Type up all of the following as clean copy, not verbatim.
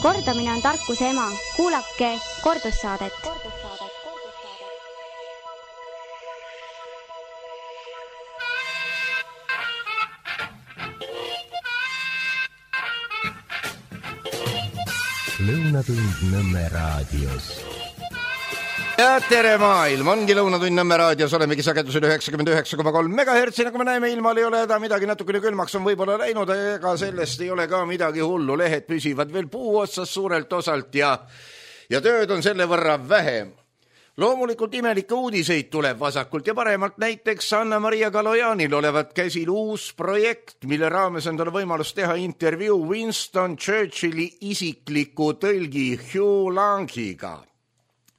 Kordamine on tarkuse ema. Kuulake kordussaadet. Lõunatund Nõmme raadios. Ja tere maailm, ongi Lõunatund Nõmme raadios, olemegi sagedusel 99,3 megahertsi, nagu me näeme, ilmal ei ole midagi natukene külmaks on võib-olla läinud, ega sellest ei ole ka midagi hullu, lehed püsivad veel puu otsas suurelt osalt ja tööd on selle võrra vähem. Loomulikult imelikke uudiseid tuleb vasakult ja paremalt, näiteks Anna-Maria Kalojanil olevat käsil uus projekt, mille raames on tal võimalus teha intervjuu Winston Churchilli isikliku tõlgi Hugh Langiga.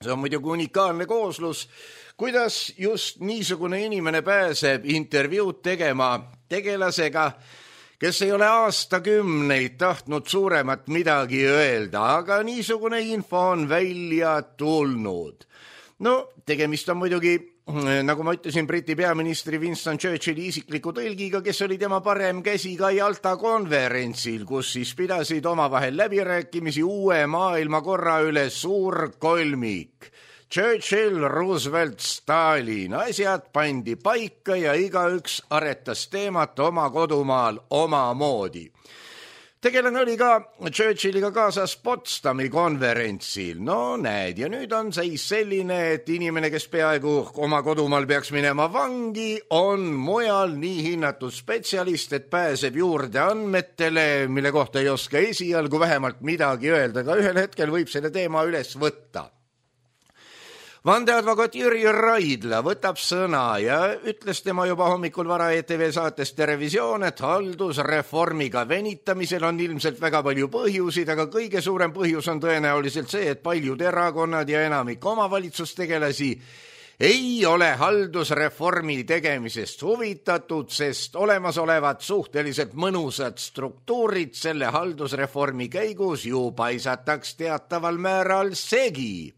See on muidugi unikaalne kooslus, kuidas just niisugune inimene pääseb intervjuud tegema tegelasega, kes ei ole aastakümneid tahtnud suuremat midagi öelda, aga niisugune info on välja tulnud. No, tegemist on muidugi, nagu ma ütlesin, Briti peaministri Winston Churchilli isikliku tõlgiga, kes oli tema parem käsi ka Jalta konverentsil, kus siis pidasid omavahel läbirääkimisi uue maailmakorra üle suur kolmik. Churchill, Roosevelt, Stalin, asjad pandi paika ja igaüks aretas teemat oma kodumaal omamoodi. Tegelane oli ka Churchilliga kaasas Potsdami konverentsil. No näed, ja nüüd on seis selline, et inimene, kes peaaegu oma kodumaal peaks minema vangi, on mujal nii hinnatud spetsialist, et pääseb juurde andmetele, mille kohta ei oska esialgu vähemalt midagi öelda, aga ühel hetkel võib selle teema üles võtta. Vandeadvokaat Jüri Raidla võtab sõna ja ütles tema juba hommikul vara ETV saates Terevisioon, et haldusreformiga venitamisel on ilmselt väga palju põhjusid, aga kõige suurem põhjus on tõenäoliselt see, et paljud erakonnad ja enamik omavalitsustegelasi ei ole haldusreformi tegemisest huvitatud, sest olemasolevad suhteliselt mõnusad struktuurid selle haldusreformi käigus ju paisataks teataval määral segi.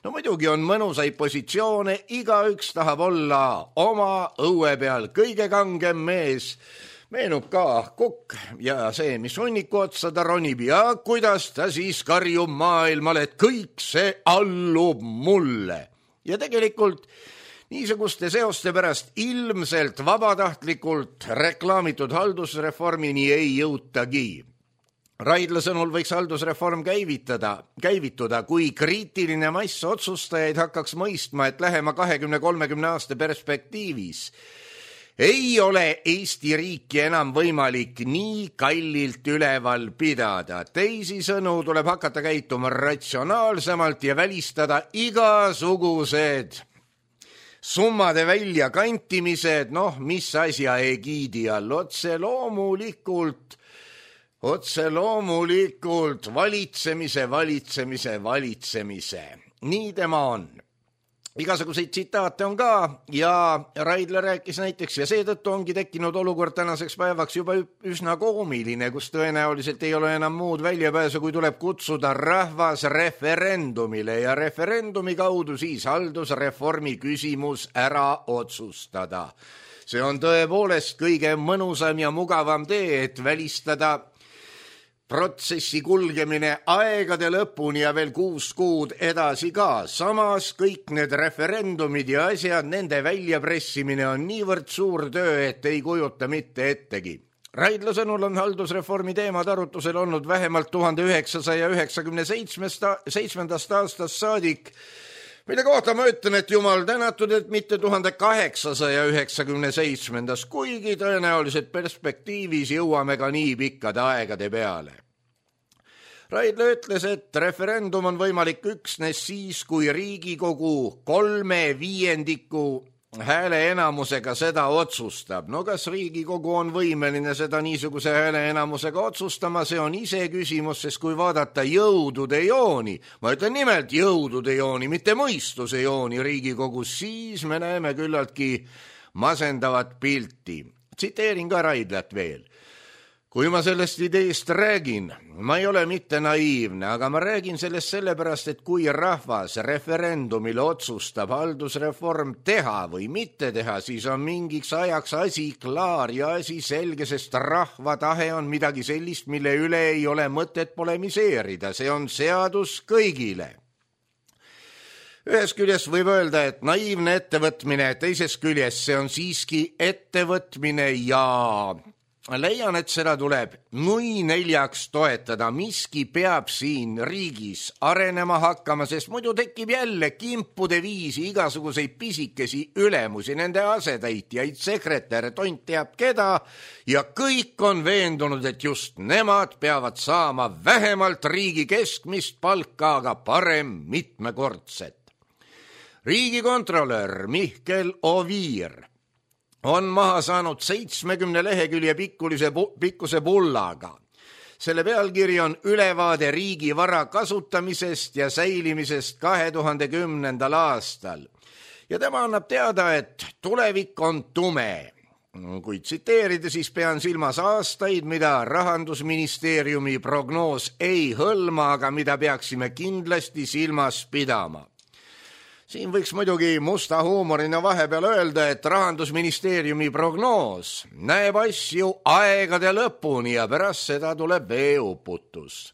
No muidugi on mõnusaid positsioone, igaüks tahab olla oma õue peal kõige kangem mees. Meenub ka Kukk ja see, mis hunniku otsa ta ronib ja kuidas ta siis karjub maailmale, et kõik see allub mulle. Ja tegelikult niisuguste seoste pärast ilmselt vabatahtlikult reklaamitud haldusreformini ei jõutagi. Raidla sõnul võiks haldusreform käivituda, kui kriitiline mass otsustajaid hakkaks mõistma, et lähema 20-30 aasta perspektiivis ei ole Eesti riiki enam võimalik nii kallilt üleval pidada. Teisisõnu tuleb hakata käituma ratsionaalsemalt ja välistada igasugused summade väljakantimised, mis asja egiidi all, otse loomulikult valitsemise. Nii tema on. Igasuguseid tsitaate on ka ja Raidla rääkis näiteks ja seetõttu ongi tekkinud olukord tänaseks päevaks juba üsna koomiline, kus tõenäoliselt ei ole enam muud väljapääsu, kui tuleb kutsuda rahvas referendumile ja referendumi kaudu siis haldusreformi küsimus ära otsustada. See on tõepoolest kõige mõnusam ja mugavam tee, et välistada protsessi kulgemine aegade lõpuni ja veel 6 kuud edasi ka. Samas kõik need referendumid ja asjad, nende väljapressimine on niivõrd suur töö, et ei kujuta mitte ettegi. Raidla sõnul on haldusreformi teemad arutusel olnud vähemalt 1997. aastast saadik, mille kohta ma ütlen, et jumal tänatud, et mitte 1897, kuigi tõenäoliselt perspektiivis jõuame ka nii pikkade aegade peale. Raidla ütles, et referendum on võimalik üksnes siis, kui Riigikogu 3/5 hääle enamusega seda otsustab. No kas Riigikogu on võimeline seda niisuguse hääle enamusega otsustama, see on ise küsimus, sest kui vaadata jõudude jooni, ma ütlen nimelt jõudude jooni, mitte mõistuse jooni Riigikogus, siis me näeme küllaltki masendavat pilti. Tsiteerin ka Raidlat veel. 3/5 hääle enamusega seda otsustab. No kas Riigikogu on võimeline seda niisuguse hääle enamusega otsustama, see on ise küsimus, sest kui vaadata jõudude jooni, mitte mõistuse jooni Riigikogus, siis me näeme küllaltki masendavat pilti. Kui ma sellest ideest räägin, ma ei ole mitte naiivne, aga ma räägin sellest sellepärast, et kui rahvas referendumil otsustab haldusreform teha või mitte teha, siis on mingiks ajaks asi klaar ja asi selge, sest rahva tahe on midagi sellist, mille üle ei ole mõtet polemiseerida. See on seadus kõigile. Ühest küljest võib öelda, et naiivne ettevõtmine, teisest küljest see on siiski ettevõtmine ja leian, et seda tuleb nui neljaks toetada. Miski peab siin riigis arenema hakkama, sest muidu tekib jälle kimpude viisi igasuguseid pisikesi ülemusi, nende asetäitjaid, sekretäre, tont teab keda ja kõik on veendunud, et just nemad peavad saama vähemalt riigi keskmist palka, aga parem mitmekordset. Riigikontrolör Mihkel Oviir on maha saanud 70 lehekülje pikkuse bullaga. Selle pealkiri on ülevaade riigi vara kasutamisest ja säilimisest 2010. aastal. Ja tema annab teada, et tulevik on tume. Kui tsiteerida, siis pean silmas aastaid, mida Rahandusministeeriumi prognoos ei hõlma, aga mida peaksime kindlasti silmas pidama. Siin võiks muidugi musta huumorina vahepeal öelda, et Rahandusministeeriumi prognoos näeb asju aegade lõpuni ja pärast seda tuleb veeuputus.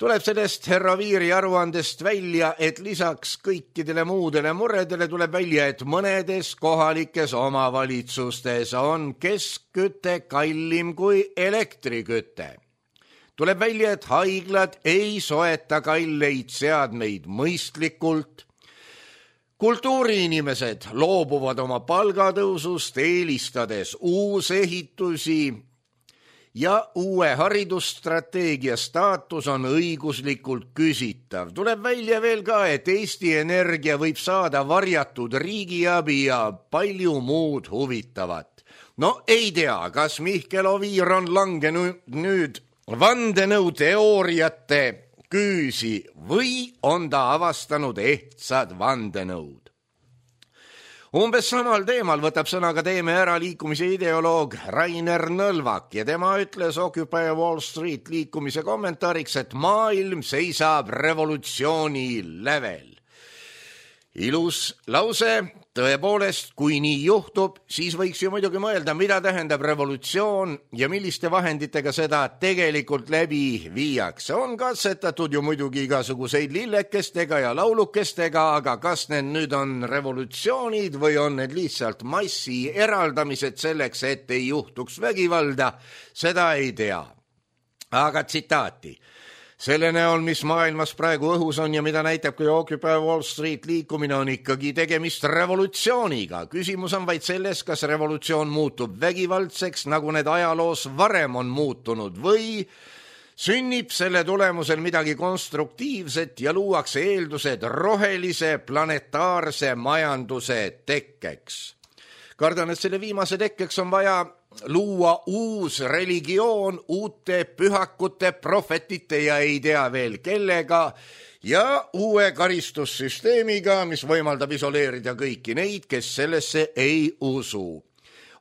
Tuleb sellest härra Viiri aruandest välja, et lisaks kõikidele muudele muredele tuleb välja, et mõnedes kohalikes omavalitsustes on keskküte kallim kui elektriküte. Tuleb välja, et haiglad ei soeta kalleid seadmeid mõistlikult. Kultuuriinimesed loobuvad oma palgatõusust, eelistades uusehitusi ja uue haridusstrateegia staatus on õiguslikult küsitav. Tuleb välja veel ka, et Eesti Energia võib saada varjatud riigiabi ja palju muud huvitavat. No ei tea, kas Mihkel Oviir on langenud nüüd vandenõuteooriate küüsi või on ta avastanud ehtsad vandenõud. Umbes samal teemal võtab sõna ka Teeme ära liikumise ideoloog Rainer Nõlvak ja tema ütles Occupy Wall Street liikumise kommentaariks, et maailm seisab revolutsiooni lävel. Ilus lause, tõepoolest, kui nii juhtub, siis võiks ju muidugi mõelda, mida tähendab revolutsioon ja milliste vahenditega seda tegelikult läbi viiakse. On katsetatud ju muidugi igasuguseid lillekestega ja laulukestega, aga kas need nüüd on revolutsioonid või on need lihtsalt massi eraldamised selleks, et ei juhtuks vägivalda, seda ei tea. Aga tsitaati. Selle näol, mis maailmas praegu õhus on ja mida näitab kui Occupy Wall Street liikumine, on ikkagi tegemist revolutsiooniga. Küsimus on vaid selles, kas revolutsioon muutub vägivaldseks, nagu need ajaloos varem on muutunud, või sünnib selle tulemusel midagi konstruktiivset ja luuakse eeldused rohelise planetaarse majanduse tekkeks. Kardan, et selle viimase tekkeks on vaja luua uus religioon uute pühakute, prohvetite ja ei tea veel kellega ja uue karistussüsteemiga, mis võimaldab isoleerida kõiki neid, kes sellesse ei usu.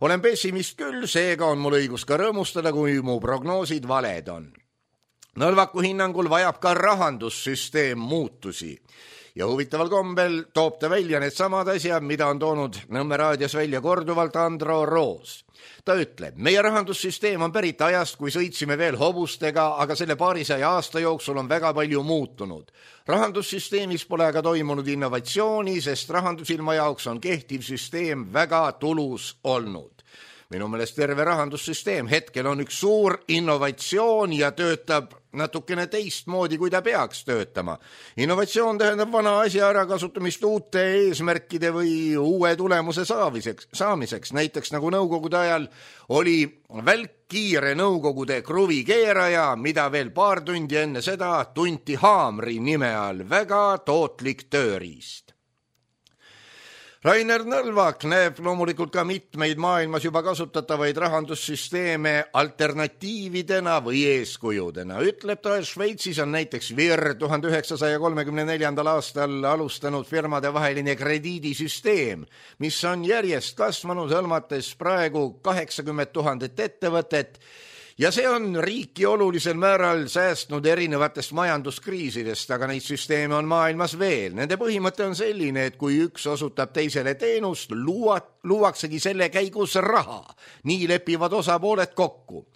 Olen pessimist küll, seega on mul õigus ka rõõmustada, kui mu prognoosid valed on. Nõlvaku hinnangul vajab ka rahandussüsteem muutusi. Ja huvitaval kombel toob ta välja need samad asjad, mida on toonud Nõmme raadios välja korduvalt Andro Roos. Ta ütleb, meie rahandussüsteem on pärit ajast, kui sõitsime veel hobustega, aga selle paarisaja aasta jooksul on väga palju muutunud. Rahandussüsteemis pole aga toimunud innovatsiooni, sest rahandusilma jaoks on kehtiv süsteem väga tulus olnud. Minu meelest terve rahandussüsteem hetkel on üks suur innovatsioon ja töötab natukene teistmoodi, kui ta peaks töötama. Innovatsioon tähendab vana asja ärakasutamist uute eesmärkide või uue tulemuse saamiseks. Näiteks nagu nõukogude ajal oli välkkiire nõukogude kruvikeeraja, mida veel paar tundi enne seda tunti haamri nime all, väga tootlik tööriist. Rainer Nõlvak näeb loomulikult ka mitmeid maailmas juba kasutatavaid rahandussüsteeme alternatiividena või eeskujudena. Ütleb ta, et Šveitsis on näiteks VIR 1934. aastal alustanud firmade vaheline krediidisüsteem, mis on järjest kasvanud, hõlmates praegu 80 000 ettevõtet, ja see on riiki olulisel määral säästnud erinevatest majanduskriisidest, aga neid süsteeme on maailmas veel. Nende põhimõte on selline, et kui üks osutab teisele teenust, luuaksegi selle käigus raha. Nii lepivad osapooled kokku.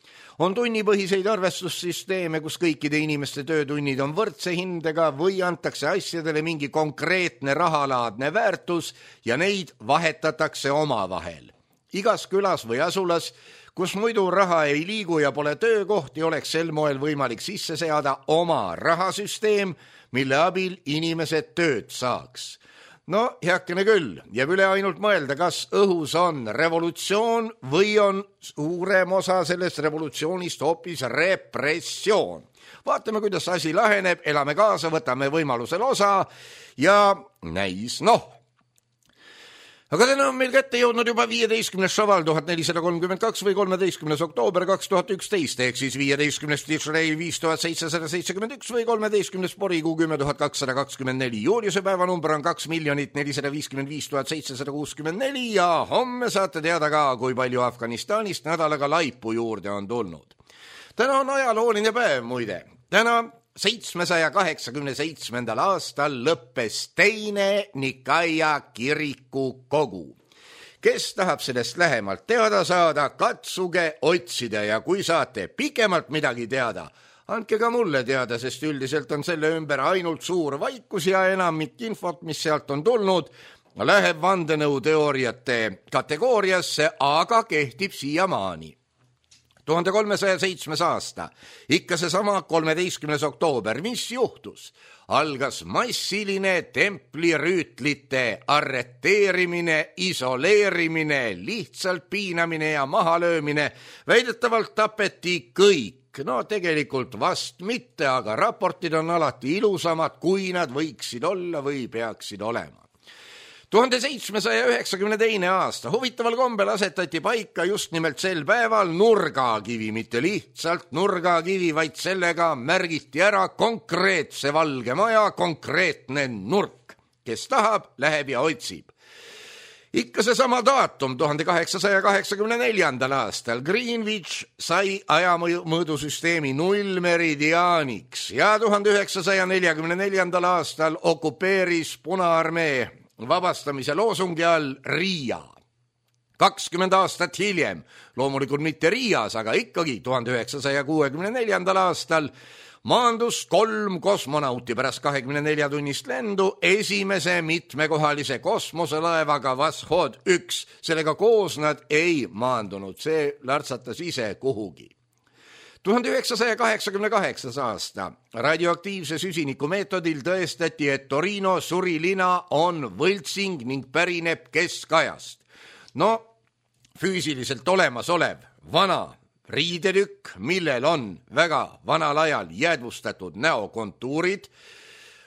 On tunnipõhiseid arvestussüsteeme, kus kõikide inimeste töötunnid on võrdse hindega või antakse asjadele mingi konkreetne rahalaadne väärtus ja neid vahetatakse omavahel. Igas külas või asulas, kus muidu raha ei liigu ja pole töökohti, oleks sel moel võimalik sisse seada oma rahasüsteem, mille abil inimesed tööd saaks. No, heakene küll, jääb üle ainult mõelda, kas õhus on revolutsioon või on suurem osa sellest revolutsioonist hoopis repressioon. Vaatame, kuidas asi laheneb, elame kaasa, võtame võimalusel osa ja näis, Aga täna on meil kätte jõudnud juba 15. šaval 1432 või 13. oktoober 2011, ehk siis 15. Tishrei 5771 või 13. porikuu 10224. Juuliuse päevanumber on 2 455 764 ja homme saate teada ka, kui palju Afganistanist nädalaga laipu juurde on tulnud. Täna on ajalooline päev muide. Täna 787. aastal lõppes teine Nikaia kiriku kogu. Kes tahab sellest lähemalt teada saada, katsuge otsida ja kui saate pikemalt midagi teada, andke ka mulle teada, sest üldiselt on selle ümber ainult suur vaikus ja enamik infot, mis sealt on tulnud, läheb vandenõuteooriate kategooriasse, aga kehtib siiamaani. 1307. aasta, ikka seesama 13. oktoober, mis juhtus? Algas massiline templirüütlite arreteerimine, isoleerimine, lihtsalt piinamine ja mahalöömine. Väidetavalt tapeti kõik. No tegelikult vast mitte, aga raportid on alati ilusamad, kui nad võiksid olla või peaksid olema. 1792. aasta huvitaval kombel asetati paika just nimelt sel päeval nurgakivi, mitte lihtsalt nurgakivi, vaid sellega märgiti ära konkreetse valge maja konkreetne nurk. Kes tahab, läheb ja otsib. Ikka seesama daatum 1884. aastal Greenwich sai ajamõõdusüsteemi nullmeridiaaniks ja 1944. aastal okupeeris Punaarmee vabastamise loosungi all Riia. 20 aastat hiljem, loomulikult mitte Riias, aga ikkagi 1964. aastal maandus 3 kosmonauti pärast 24 tunnist lendu esimese mitmekohalise kosmoselaevaga Vashod 1. Sellega koos nad ei maandunud, see lartsatas ise kuhugi. 1988. aasta radioaktiivse süsiniku meetodil tõestati, et Torino surilina on võltsing ning pärineb keskajast. No, füüsiliselt olemasolev vana riidetükk, millel on väga vanal ajal jäädvustatud näokontuurid,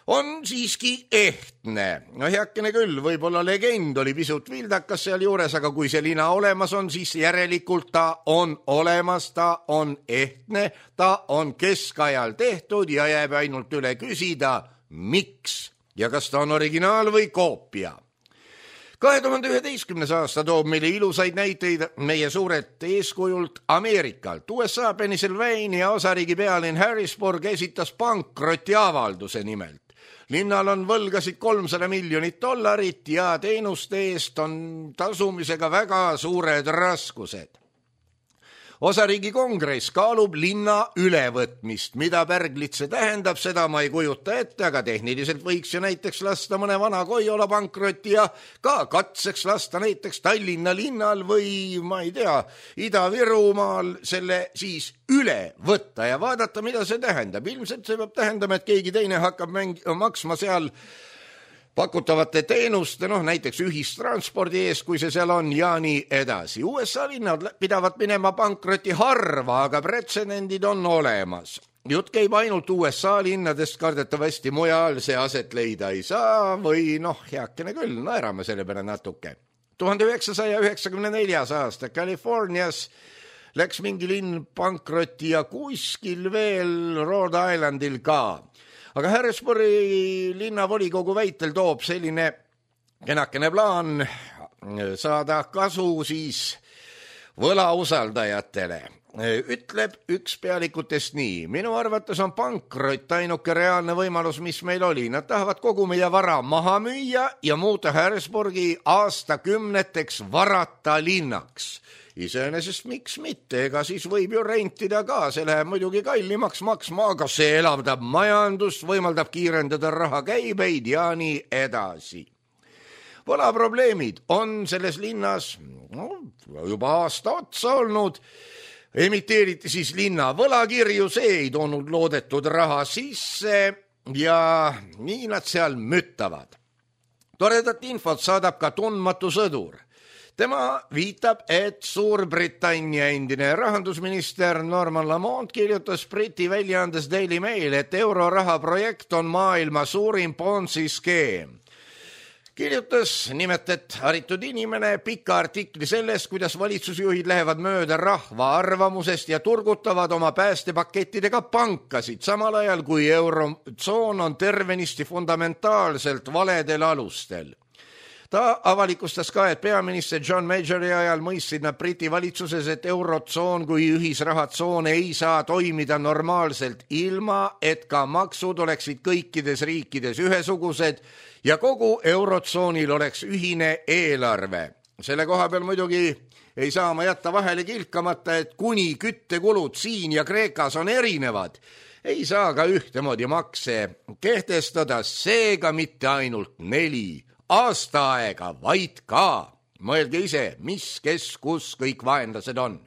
on siiski ehtne. No heakene küll, võib-olla legend oli pisut vildakas seal juures, aga kui see lina olemas on, siis järelikult ta on olemas, ta on ehtne, ta on keskajal tehtud ja jääb ainult üle küsida, miks ja kas ta on originaal või koopia. 2011. aasta toob meile ilusaid näiteid meie suurelt eeskujult Ameerikalt. USA Pennsylvania osariigi pealinn Harrisburg esitas pankrotiavalduse nimelt. Linnal on võlgasid $300 miljonit ja teenuste eest on tasumisega väga suured raskused. Osariigi kongress kaalub linna ülevõtmist. Mida pärglit see tähendab, seda ma ei kujuta ette, aga tehniliselt võiks ju näiteks lasta mõne vana Koiola pankrotti ja ka katseks lasta näiteks Tallinna linnal või, ma ei tea, Ida-Virumaal selle siis üle võtta ja vaadata, mida see tähendab. Ilmselt see peab tähendama, et keegi teine hakkab maksma seal pakutavate teenuste, näiteks ühistranspordi ees, kui see seal on ja nii edasi. USA linnad pidavad minema pankroti harva, aga pretsedendid on olemas. jutt käib ainult USA linnadest, kardetavasti mujal see aset leida ei saa või heakene küll, naerame selle peale natuke. 1994. aasta Californias läks mingi linn pankrotti ja kuskil veel Rhode Islandil ka. Aga Harrisburgi linnavolikogu väitel toob selline kenakene plaan saada kasu siis võlausaldajatele. Ütleb üks pealikutest nii: minu arvates on pankrott ainuke reaalne võimalus, mis meil oli. Nad tahavad kogu meie vara maha müüa ja muuta Harrisburgi aastakümneteks varata linnaks. Iseenesest miks mitte, ega siis võib ju rentida ka, see läheb muidugi kallimaks maksma, aga see elavdab majandust, võimaldab kiirendada rahakäibeid ja nii edasi. Võlaprobleemid on selles linnas juba aasta otsa olnud. Emiteeriti siis linna võlakirju, see ei toonud loodetud raha sisse ja nii nad seal müttavad. Toredat infot saadab ka tundmatu sõdur. Tema viitab, et Suurbritannia endine rahandusminister Norman Lamont kirjutas Briti väljaandes Daily Mail, et euroraha projekt on maailma suurim Ponzi skeem. Kirjutas nimelt, et haritud inimene pika artikli sellest, kuidas valitsusjuhid lähevad mööda rahva arvamusest ja turgutavad oma päästepakettidega pankasid, samal ajal kui eurotsoon on tervenisti fundamentaalselt valedel alustel. Ta avalikustas ka, et peaminister John Majori ajal mõistsid nad Briti valitsuses, et eurotsoon kui ühisrahatsoon ei saa toimida normaalselt ilma, et ka maksud oleksid kõikides riikides ühesugused ja kogu eurotsoonil oleks ühine eelarve. Selle koha peal muidugi ei saa ma jätta vahele kilkamata, et kuni küttekulud siin ja Kreekas on erinevad, ei saa ka ühtemoodi makse kehtestada, seega mitte ainult 4 aasta aega, vaid ka. Mõelge ise, mis, kes, kus kõik vaenlased on.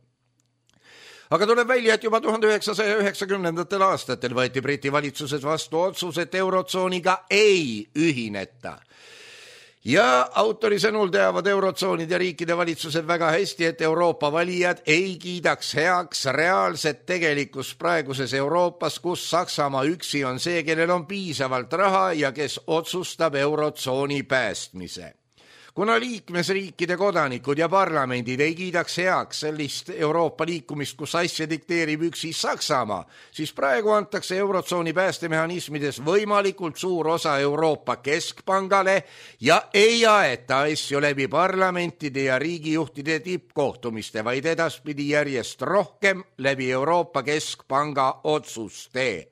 Aga tuleb välja, et juba 1990. aastatel võeti Briti valitsuses vastu otsus, et eurotsooniga ei ühineta. Ja autori sõnul teavad eurotsoonide riikide valitsused väga hästi, et Euroopa valijad ei kiidaks heaks reaalset tegelikus praeguses Euroopas, kus Saksamaa üksi on see, kellel on piisavalt raha ja kes otsustab eurotsooni päästmise. Kuna liikmesriikide kodanikud ja parlamendid ei kiidaks heaks sellist Euroopa liikumist, kus asja dikteerib üksi Saksamaa, siis praegu antakse eurotsooni päästemehhanismides võimalikult suur osa Euroopa Keskpangale ja ei aeta asju läbi parlamentide ja riigijuhtide tippkohtumiste, vaid edaspidi järjest rohkem läbi Euroopa Keskpanga otsuste.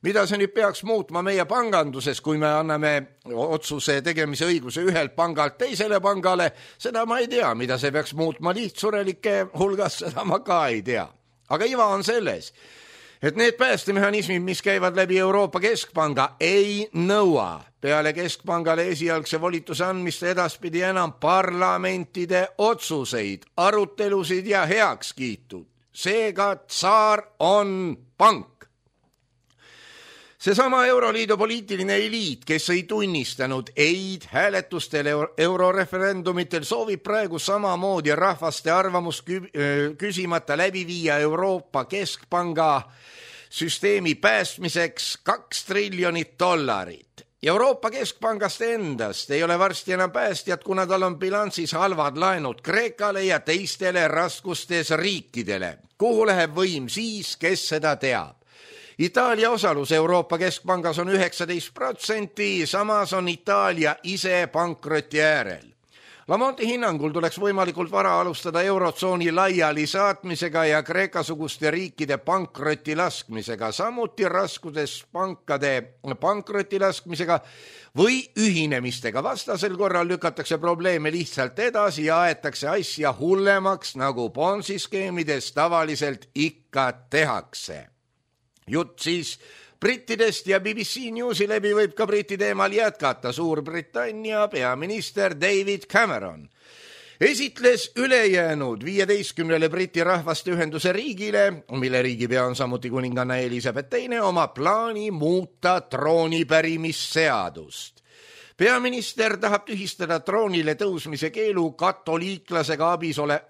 Mida see nüüd peaks muutma meie panganduses, kui me anname otsuse tegemise õiguse ühelt pangalt teisele pangale, seda ma ei tea. Mida see peaks muutma lihtsurelike hulgas, seda ma ka ei tea. Aga iva on selles, et need päästemehhanismid, mis käivad läbi Euroopa Keskpanga, ei nõua peale Keskpangale esialgse volituse andmist edaspidi enam parlamentide otsuseid, arutelusid ja heakskiitud. Seega tsaar on pank. Seesama Euroliidu poliitiline eliit, kes ei tunnistanud eid hääletustel euroreferendumitel, soovib praegu samamoodi rahvaste arvamust küsimata läbi viia Euroopa Keskpanga süsteemi päästmiseks $2 triljonit. Euroopa Keskpangast endast ei ole varsti enam päästjad, kuna tal on bilansis halvad laenud Kreekale ja teistele raskustes riikidele. Kuhu läheb võim siis, kes seda teab? Itaalia osalus Euroopa Keskpangas on 19%, samas on Itaalia ise pankroti äärel. Lamonti hinnangul tuleks võimalikult vara alustada eurotsooni laiali saatmisega ja Kreeka-suguste riikide pankroti laskmisega, samuti raskudes pankade pankroti laskmisega või ühinemistega. Vastasel korral lükatakse probleeme lihtsalt edasi ja aetakse asja hullemaks, nagu Ponzi-skeemides tavaliselt ikka tehakse. Jutt siis brittidest ja BBC Newsi läbi võib ka Briti teemal jätkata. Suurbritannia peaminister David Cameron esitles ülejäänud 15 Briti rahvaste ühenduse riigile, mille riigipea on samuti kuninganna Elizabeth II, oma plaani muuta troonipärimisseadust. Peaminister tahab tühistada troonile tõusmise keelu katoliiklasega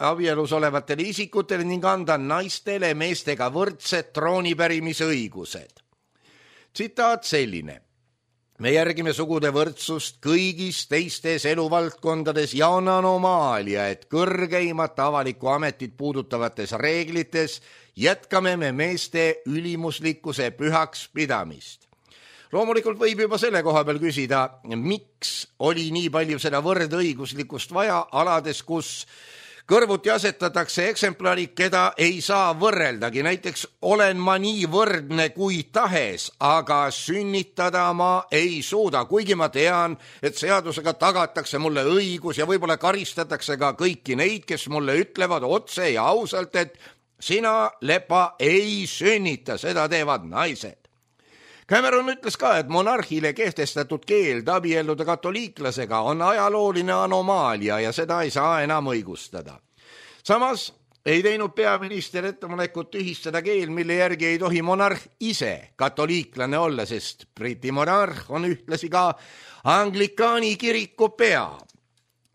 abielus olevatele isikutele ning anda naistele meestega võrdsed troonipärimise õigused. Tsitaat selline. Me järgime sugude võrdsust kõigis teistes eluvaldkondades ja on anomaalia, et kõrgeimat avalikku ametit puudutavates reeglites jätkame me meeste ülimuslikkuse pühaks pidamist. Loomulikult võib juba selle koha peal küsida, miks oli nii palju seda võrdõiguslikkust vaja alades, kus kõrvuti asetatakse eksemplarid, keda ei saa võrreldagi. Näiteks olen ma nii võrdne kui tahes, aga sünnitada ma ei suuda, kuigi ma tean, et seadusega tagatakse mulle õigus ja võib-olla karistatakse ka kõiki neid, kes mulle ütlevad otse ja ausalt, et sina, lepa, ei sünnita, seda teevad naised. Cameron ütles ka, et monarhile kehtestatud keeld abielluda katoliiklasega on ajalooline anomaalia ja seda ei saa enam õigustada. Samas ei teinud peaminister ettepanekut tühistada keel, mille järgi ei tohi monarh ise katoliiklane olla, sest Briti monarh on ühtlasi ka Anglikaani kiriku pea.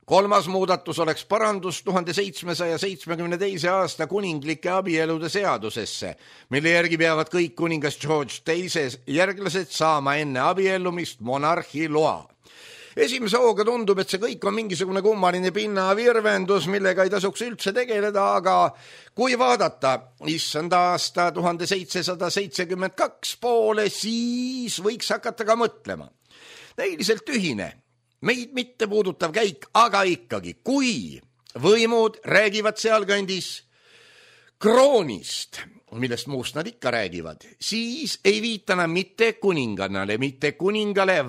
Kolmas muudatus oleks parandus 1772. aasta kuninglike abielude seadusesse, mille järgi peavad kõik kuningas George II järglased saama enne abiellumist monarhi loa. Esimese hooga tundub, et see kõik on mingisugune kummaline pinnavirvendus, millega ei tasuks üldse tegeleda, aga kui vaadata issanda aasta 1772 poole, siis võiks hakata ka mõtlema. Näiliselt ühine. Meid mitte puudutav käik, aga ikkagi, kui võimud räägivad sealkandis kroonist, millest muust nad ikka räägivad, siis ei viita nad mitte kuningale,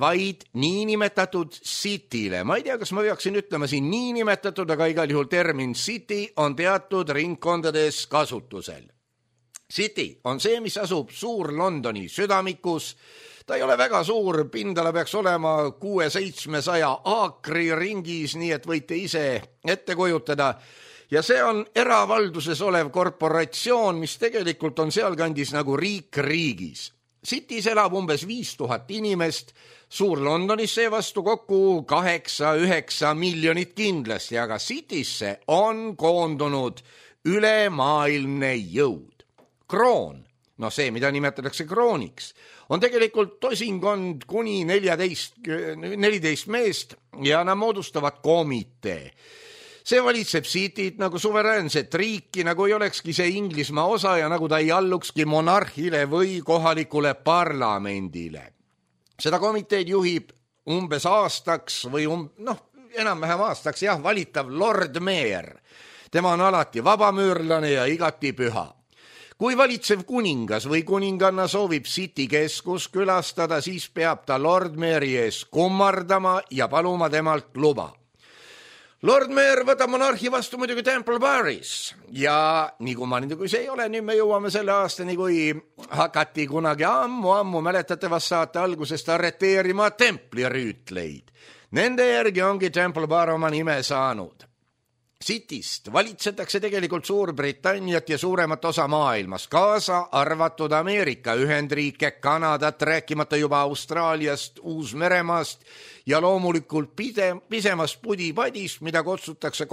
vaid niinimetatud cityle. Ma ei tea, kas ma peaksin ütlema siin niinimetatud, aga igal juhul termin city on teatud ringkondades kasutusel. City on see, mis asub Suur-Londoni südamikus. Ta ei ole väga suur, pindala peaks olema 600-700 aakri ringis, nii et võite ise ette kujutada. Ja see on eravalduses olev korporatsioon, mis tegelikult on sealkandis nagu riik riigis. City's elab umbes 5000 inimest, Suur-Londonis seevastu kokku 8-9 miljonit kindlasti, aga City'sse on koondunud ülemaailmne jõud. Kroon, no see, mida nimetatakse krooniks, on tegelikult tosinkond kuni 14 meest ja nad moodustavad komitee. See valitseb Cityt nagu suveräänset riiki, nagu ei olekski see Inglismaa osa ja nagu ta ei allukski monarhile või kohalikule parlamendile. Seda komiteed juhib umbes aastaks või enam-vähem aastaks, valitav Lord Mayor. Tema on alati vabamüürlane ja igati püha. Kui valitsev kuningas või kuninganna soovib City keskus külastada, siis peab ta Lord Mayori ees kummardama ja paluma temalt luba. Lord Mayor võtab monarhi vastu muidugi Temple Baris ja nii kummaline kui see ei ole, nüüd me jõuame selle aastani, kui hakati kunagi ammu mäletatavast saate algusest arreteerima templirüütleid. Nende järgi ongi Temple Bar oma nime saanud. Cityst valitsetakse tegelikult Suurbritanniat ja suuremat osa maailmas, kaasa arvatud Ameerika Ühendriike, Kanadat, rääkimata juba Austraaliast, Uus-Meremaast ja loomulikult pisemast pudipadist, mida kutsutakse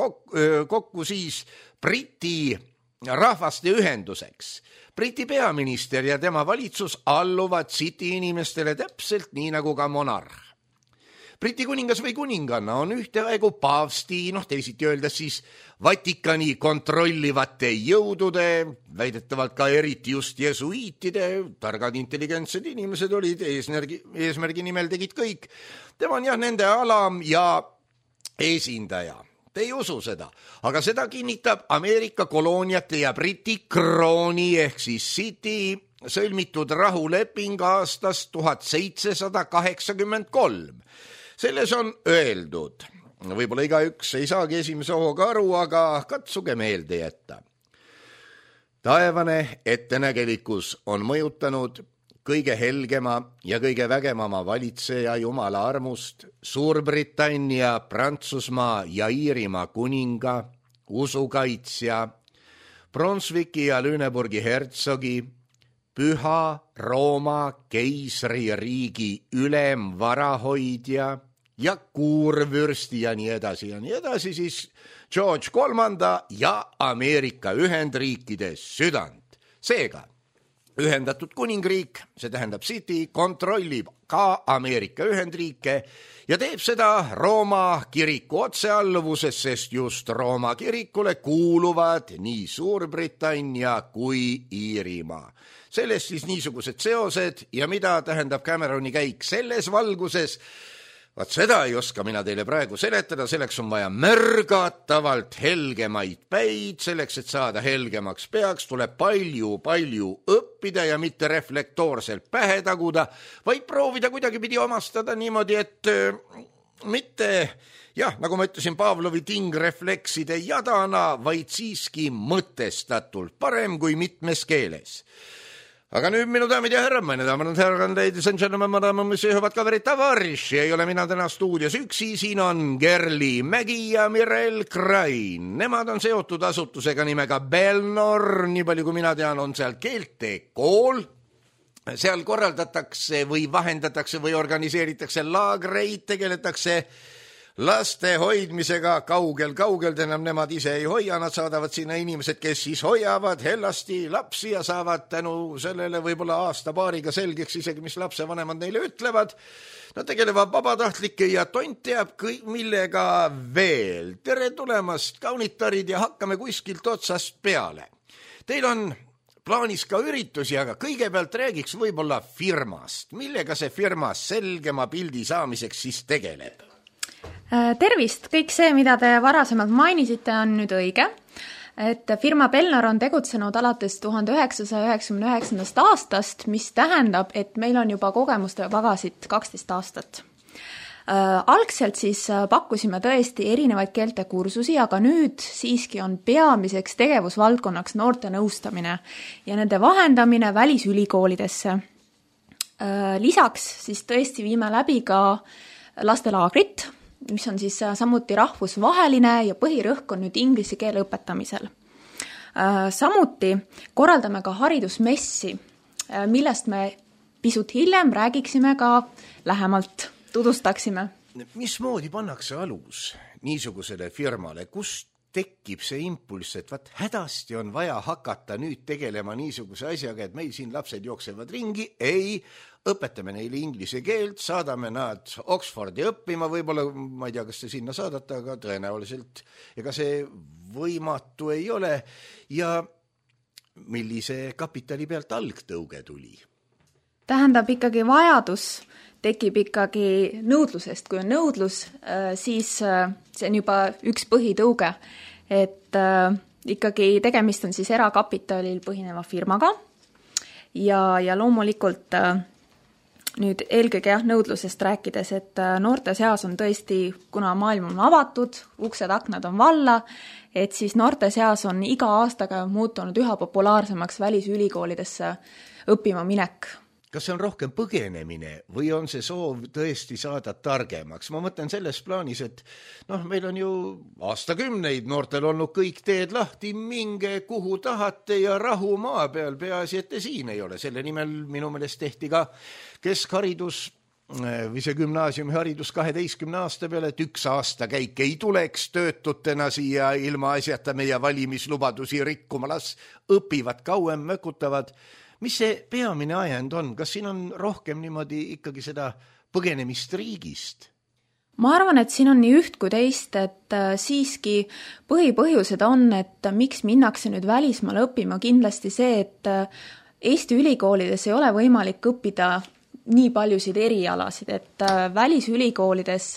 kokku siis Briti rahvaste ühenduseks. Briti peaminister ja tema valitsus alluvad City inimestele täpselt nii nagu ka monarh. Briti kuningas või kuninganna on ühteaegu paavsti, teisiti öeldes siis Vatikani kontrollivate jõudude, väidetavalt ka eriti just jesuiitide, targad intelligentsed inimesed olid, eesmärgi nimel tegid kõik. Tema on nende alam ja esindaja. Te ei usu seda, aga seda kinnitab Ameerika kolooniate ja Briti krooni ehk siis City sõlmitud rahuleping aastast 1783. Selles on öeldud, võib-olla igaüks ei saagi esimese hooga aru, aga katsuge meelde jätta. Taevane ettenägelikkus on mõjutanud kõige helgema ja kõige vägevama valitseja Jumala armust, Suurbritannia, Prantsusmaa ja Iirimaa kuninga, usukaitsja, Brunswicki ja Lüneburgi hertsogi, Püha Rooma keisririigi ülemvarahoidja, ja kuurvürsti ja nii edasi, siis George III ja Ameerika Ühendriikide südant. Seega, Ühendatud Kuningriik, see tähendab City, kontrollib ka Ameerika Ühendriike ja teeb seda Rooma kiriku otsealluvuses, sest just Rooma kirikule kuuluvad nii Suurbritannia kui Iirimaa. Sellest siis niisugused seosed ja mida tähendab Cameroni käik selles valguses, vaat seda ei oska mina teile praegu seletada, selleks on vaja märgatavalt helgemaid päid, selleks, et saada helgemaks peaks, tuleb palju õppida ja mitte reflektoorselt pähe taguda, vaid proovida kuidagipidi omastada niimoodi, et mitte, nagu ma ütlesin, Pavlovi tingreflekside jadana, vaid siiski mõtestatult, parem kui mitmes keeles. Aga nüüd minu daamid ja härrad, meine daamid ja härrad, ladies and gentlemen, madame, monsieur, hüvad kaverid, tavariši, ei ole mina täna stuudios üksi, siin on Gerli Mägi ja Mirel Krain. Nemad on seotud asutusega nimega Belnor, nii palju kui mina tean, on seal keeltekool. Seal korraldatakse või vahendatakse või organiseeritakse laagreid, tegeletakse laste hoidmisega kaugel, tähendab nemad ise ei hoia, nad saadavad sinna inimesed, kes siis hoiavad hellasti lapsi ja saavad tänu sellele võib-olla aasta-paariga selgeks isegi, mis lapsevanemad neile ütlevad. Nad tegelevad vabatahtlike ja tont teab millega veel. Tere tulemast, kaunitarid, ja hakkame kuskilt otsast peale. Teil on plaanis ka üritusi, aga kõigepealt räägiks võib-olla firmast. Millega see firma selgema pildi saamiseks siis tegeleb? Tervist! Kõik see, mida te varasemalt mainisite, on nüüd õige. Et firma Belnor on tegutsenud alates 1999. aastast, mis tähendab, et meil on juba kogemuste pagasit 12 aastat. Algselt siis pakkusime tõesti erinevaid keeltekursusi, aga nüüd siiski on peamiseks tegevusvaldkonnaks noorte nõustamine ja nende vahendamine välisülikoolidesse. Lisaks siis tõesti viime läbi ka lastelaagrit, mis on siis samuti rahvusvaheline ja põhirõhk on nüüd inglise keele õpetamisel. Samuti korraldame ka haridusmessi, millest me pisut hiljem räägiksime ka lähemalt, tutvustaksime. Mismoodi pannakse alus niisugusele firmale, kust tekib see impulss, et hädasti on vaja hakata nüüd tegelema niisuguse asjaga, et meil siin lapsed jooksevad ringi, ei, õpetame neile inglise keelt, saadame nad Oxfordi õppima, võib-olla, ma ei tea, kas te sinna saadate, aga tõenäoliselt ega see võimatu ei ole. Ja millise kapitali pealt algtõuge tuli? Tähendab ikkagi vajadus tekib ikkagi nõudlusest. Kui on nõudlus, siis see on juba üks põhitõuge, et ikkagi tegemist on siis erakapitalil põhineva firmaga ja loomulikult nüüd eelkõige nõudlusest rääkides, et noorte seas on tõesti, kuna maailm on avatud, uksed, aknad on valla, et siis noorte seas on iga aastaga muutunud üha populaarsemaks välisülikoolidesse õppima minek. Kas see on rohkem põgenemine või on see soov tõesti saada targemaks? Ma mõtlen selles plaanis, et meil on ju aastakümneid noortel olnud kõik teed lahti, minge kuhu tahate ja rahu maa peal, peaasi, et te siin ei ole. Selle nimel minu meelest tehti ka keskharidus või see gümnaasiumiharidus 12 aasta peale, et üks aasta käik ei tuleks töötutena siia ilma asjata meie valimislubadusi rikkuma, las õpivad kauem, mökutavad. Mis see peamine ajend on? Kas siin on rohkem niimoodi ikkagi seda põgenemist riigist? Ma arvan, et siin on nii üht kui teist, et siiski põhipõhjused on, et miks minnakse nüüd välismaale õppima, kindlasti see, et Eesti ülikoolides ei ole võimalik õppida nii paljusid erialasid, et välisülikoolides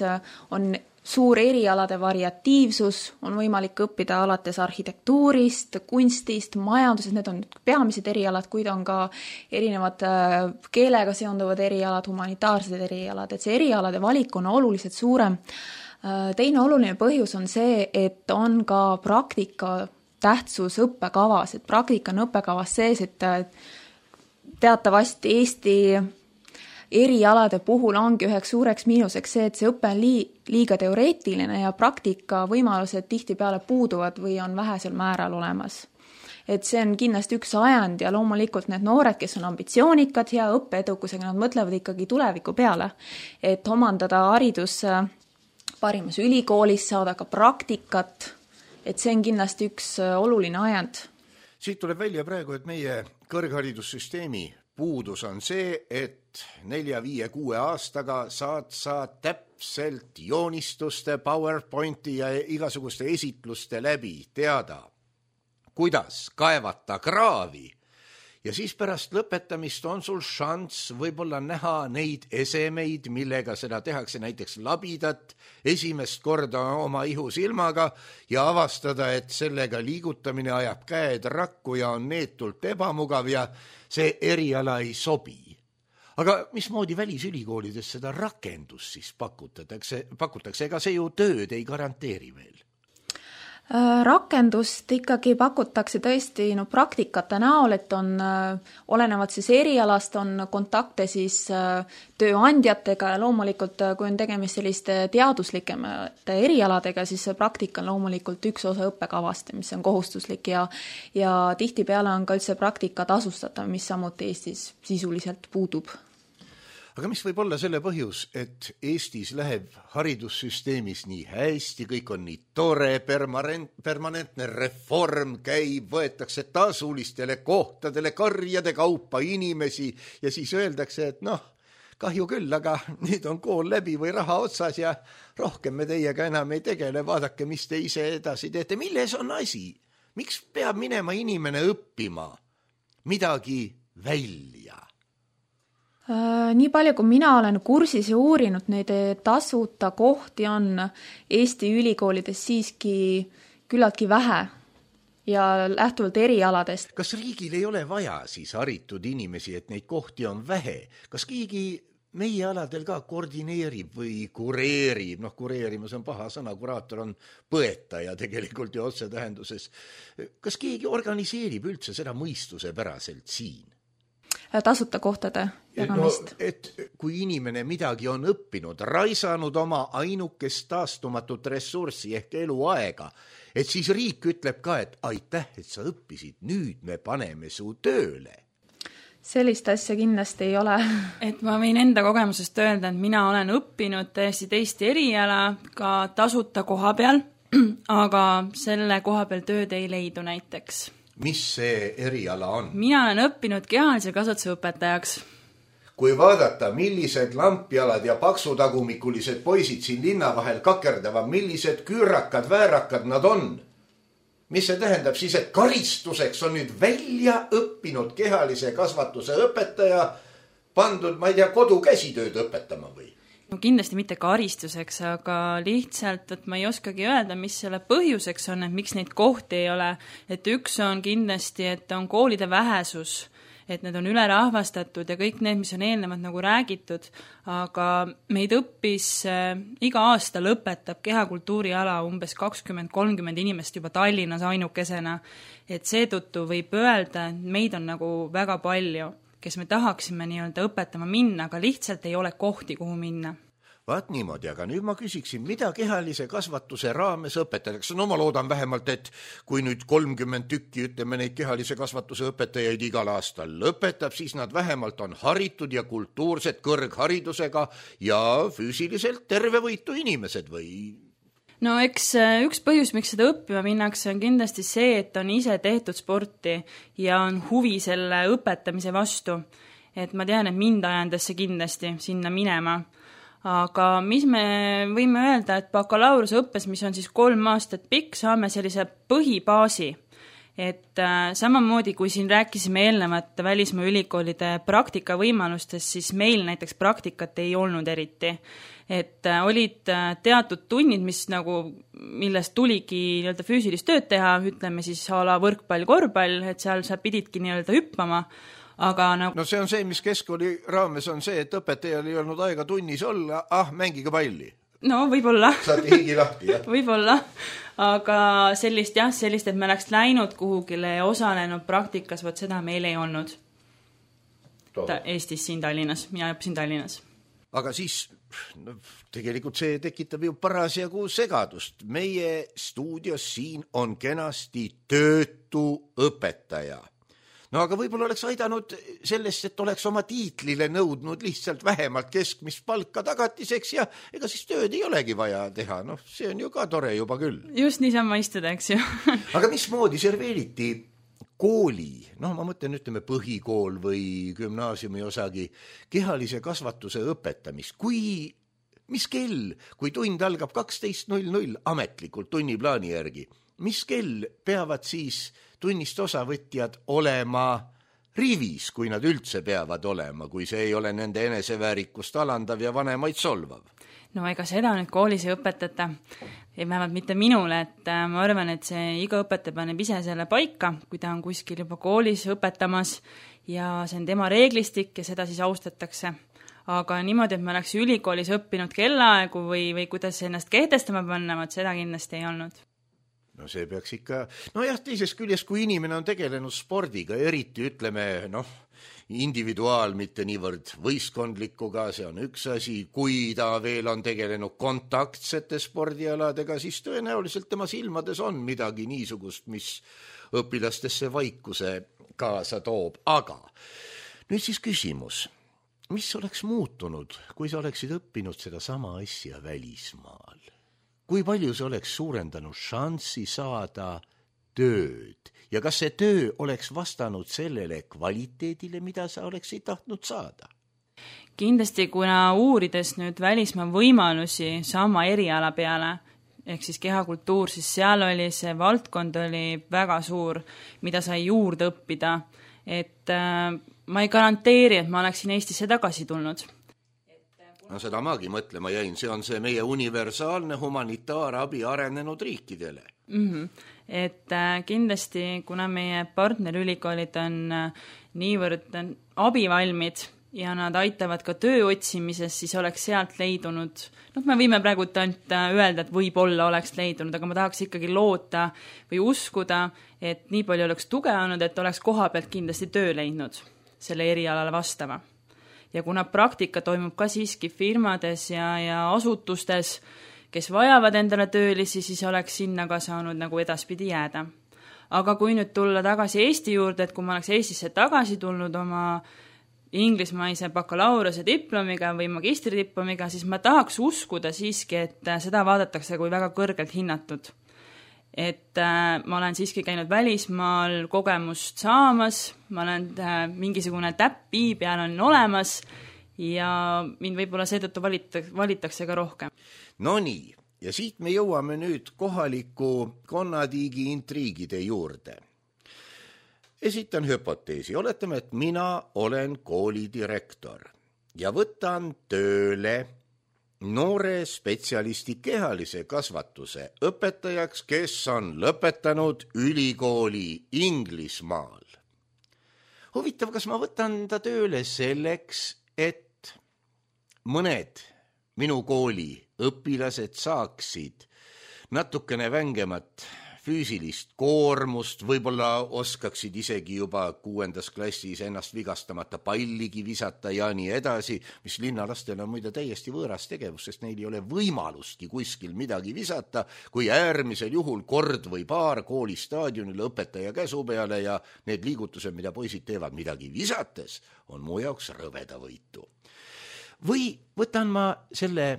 on suur erialade variatiivsus, on võimalik õppida alates arhitektuurist, kunstist, majandusest, need on peamised erialad, kuid on ka erinevad keelega seonduvad erialad, humanitaarsed erialad, et see erialade valik on oluliselt suurem. Teine oluline põhjus on see, et on ka praktika tähtsus õppekavas, et praktika on õppekavas sees, et teatavasti Eesti erialade puhul ongi üheks suureks miinuseks see, et see õpe on liiga teoreetiline ja praktika võimalused tihtipeale puuduvad või on vähesel määral olemas. et see on kindlasti üks ajend ja loomulikult need noored, kes on ambitsioonikad ja õppeedukusega, nad mõtlevad ikkagi tuleviku peale, et omandada haridus parimas ülikoolis, saada ka praktikat, et see on kindlasti üks oluline ajend. Siit tuleb välja praegu, et meie kõrgharidussüsteemi puudus on see, et 4, 5, 6 aastaga saad sa täpselt joonistuste, PowerPointi ja igasuguste esitluste läbi teada, kuidas kaevata kraavi. Ja siis pärast lõpetamist on sul šanss võib-olla näha neid esemeid, millega seda tehakse, näiteks labidat esimest korda oma ihusilmaga ja avastada, et sellega liigutamine ajab käed rakku ja on neetult ebamugav ja see eriala ei sobi. Aga mismoodi välisülikoolides seda rakendust siis pakutakse? Ega see ju tööd ei garanteeri veel. Rakendust ikkagi pakutakse tõesti praktikate näol, et on olenevad siis erialast, on kontakte siis tööandjatega ja loomulikult, kui on tegemist selliste teaduslikemate erialadega, siis see praktika on loomulikult üks osa õppekavast, mis on kohustuslik ja tihtipeale on ka üldse praktika tasustatav, mis samuti Eestis sisuliselt puudub. Aga mis võib olla selle põhjus, et Eestis läheb haridussüsteemis nii hästi, kõik on nii tore, permanentne reform käib, võetakse tasulistele kohtadele karjade kaupa inimesi ja siis öeldakse, et kahju küll, aga nüüd on kool läbi või raha otsas ja rohkem me teiega enam ei tegele, vaadake, mis te ise edasi teete. Milles on asi? Miks peab minema inimene õppima midagi välja? Nii palju, kui mina olen kursis ja uurinud, neid tasuta kohti on Eesti ülikoolides siiski küllaltki vähe ja lähtuvalt erialadest. Kas riigil ei ole vaja siis haritud inimesi, et neid kohti on vähe? Kas keegi meie aladel ka koordineerib või kureerib? Kureerimus on paha sõna, kuraator on põetaja tegelikult ju otsetähenduses. Kas keegi organiseerib üldse seda mõistuse päraselt siin? Tasuta kohtade jagamist. Et kui inimene midagi on õppinud, raisanud oma ainukest taastumatut ressurssi ehk eluaega, et siis riik ütleb ka, et aitäh, et sa õppisid, nüüd me paneme su tööle. Sellist asja kindlasti ei ole. Et ma võin enda kogemusest öelda, et mina olen õppinud täiesti teist eriala ka tasuta koha peal, aga selle koha peal tööd ei leidu näiteks. Mis see eriala on? Mina olen õppinud kehalise kasvatuse õpetajaks. Kui vaadata, millised lampjalad ja paksutagumikulised poisid siin linna vahel kakerdavad, millised küürakad, väärakad nad on. Mis see tähendab siis, et karistuseks on nüüd välja õppinud kehalise kasvatuse õpetaja pandud, ma ei tea, kodukäsitööd õpetama või? Kindlasti mitte karistuseks, aga lihtsalt, et ma ei oskagi öelda, mis selle põhjuseks on, et miks neid kohti ei ole. Et üks on kindlasti, et on koolide vähesus, et need on ülerahvastatud ja kõik need, mis on eelnevalt nagu räägitud, aga meid õppis iga aasta lõpetab kehakultuuriala umbes 20-30 inimest juba Tallinnas ainukesena, et seetõttu võib öelda, et meid on nagu väga palju, kes me tahaksime nii-öelda õpetama minna, aga lihtsalt ei ole kohti, kuhu minna. Vaat niimoodi, aga nüüd ma küsiksin, mida kehalise kasvatuse raames õpetatakse? Ma loodan vähemalt, et kui nüüd 30 tükki, ütleme, neid kehalise kasvatuse õpetajaid igal aastal lõpetab, siis nad vähemalt on haritud ja kultuursed kõrgharidusega ja füüsiliselt tervevõitu inimesed või? Eks üks põhjus, miks seda õppima minnakse, on kindlasti see, et on ise tehtud sporti ja on huvi selle õpetamise vastu. Et ma tean, et mind ajendas see kindlasti sinna minema. Aga mis me võime öelda, et bakalaureuse õppes, mis on siis 3 aastat pikk, saame sellise põhibaasi. Et samamoodi, kui siin rääkisime eelnevat välismaa ülikoolide praktika võimalustest, siis meil näiteks praktikat ei olnud eriti. Et olid teatud tunnid, millest tuligi nii-öelda füüsilist tööd teha, ütleme siis ala võrkpall, korvpall, et seal sa pididki nii-öelda hüppama. Aga see on see, mis keskkooli raames on see, et õpetajal ei olnud aega tunnis olla, mängige palli. Võib-olla. Saate higi lahti, jah? Võib-olla, aga sellist, et me oleks läinud kuhugile ja osalenud praktikas, seda meil ei olnud. Eestis siin Tallinnas, mina õppisin Tallinnas. aga siis tegelikult see tekitab ju parasjagu segadust. Meie stuudios siin on kenasti töötu õpetaja. No aga võib-olla oleks aidanud sellest, et oleks oma tiitlile nõudnud lihtsalt vähemalt keskmist palka tagatiseks ja ega siis tööd ei olegi vaja teha. Noh, see on ju ka tore juba küll. Just niisama istuda, eks ju. Aga mismoodi serveeriti kooli, noh ma mõtlen, ütleme põhikool või gümnaasiumi osagi, kehalise kasvatuse õpetamist? Mis kell, kui tund algab 12.00 ametlikult tunniplaani järgi, mis kell peavad siis tunnist osavõtjad olema rivis, kui nad üldse peavad olema, kui see ei ole nende eneseväärikust alandav ja vanemaid solvav? No ega seda nüüd koolis ei õpetata, vähemalt mitte minule, et ma arvan, et see iga õpetaja paneb ise selle paika, kui ta on kuskil juba koolis õpetamas ja see on tema reeglistik ja seda siis austatakse. Aga niimoodi, et ma oleks ülikoolis õppinud kellaaegu või kuidas ennast kehtestama panna, seda kindlasti ei olnud. No see peaks ikka, teisest küljest, kui inimene on tegelenud spordiga, eriti ütleme, individuaal, mitte niivõrd võistkondlikuga, see on üks asi, kui ta veel on tegelenud kontaktsete spordialadega, siis tõenäoliselt tema silmades on midagi niisugust, mis õpilastesse vaikuse kaasa toob. Aga nüüd siis küsimus, mis oleks muutunud, kui sa oleksid õppinud seda sama asja välismaal? Kui palju see oleks suurendanud šanssi saada tööd ja kas see töö oleks vastanud sellele kvaliteedile, mida sa oleksid tahtnud saada? Kindlasti, kuna uurides nüüd välismaa võimalusi sama eriala peale, ehk siis kehakultuur, siis seal oli see valdkond oli väga suur, mida sai juurde õppida, et ma ei garanteeri, et ma oleksin Eestisse tagasi tulnud. No seda maagi mõtlema jäin, see on see meie universaalne humanitaarabi arenenud riikidele. Et kindlasti, kuna meie partnerülikoolid on niivõrd abivalmid ja nad aitavad ka töö otsimises, siis oleks sealt leidunud, me võime praegu ainult öelda, et võib-olla oleks leidunud, aga ma tahaks ikkagi loota või uskuda, et nii palju oleks tuge olnud, et oleks koha pealt kindlasti töö leidnud selle erialale vastava. Ja kuna praktika toimub ka siiski firmades ja asutustes, kes vajavad endale töölisi, siis oleks sinna ka saanud nagu edaspidi jääda. Aga kui nüüd tulla tagasi Eesti juurde, et kui ma oleks Eestisse tagasi tulnud oma inglismaise bakalaureuse diplomiga või magistridiplomiga, siis ma tahaks uskuda siiski, et seda vaadatakse kui väga kõrgelt hinnatud. Et ma olen siiski käinud välismaal kogemust saamas, ma olen mingisugune täppi peal on olemas ja mind võib-olla seetõttu valitakse ka rohkem. No nii, ja siit me jõuame nüüd kohaliku konnatiigi intriigide juurde. Esitan hüpoteesi, oletame, et mina olen koolidirektor ja võtan tööle noore spetsialisti kehalise kasvatuse õpetajaks, kes on lõpetanud ülikooli Inglismaal. Huvitav, kas ma võtan ta tööle selleks, et mõned minu kooli õpilased saaksid natukene vängemat füüsilist koormust, võib-olla oskaksid isegi juba 6. klassis ennast vigastamata palligi visata ja nii edasi, mis linnalastel on muide täiesti võõras tegevus, sest neil ei ole võimalustki kuskil midagi visata, kui äärmisel juhul kord või paar koolistaadionil õpetaja käsu peale ja need liigutused, mida poisid teevad midagi visates, on mu jaoks rõvedavõitu. Või võtan ma selle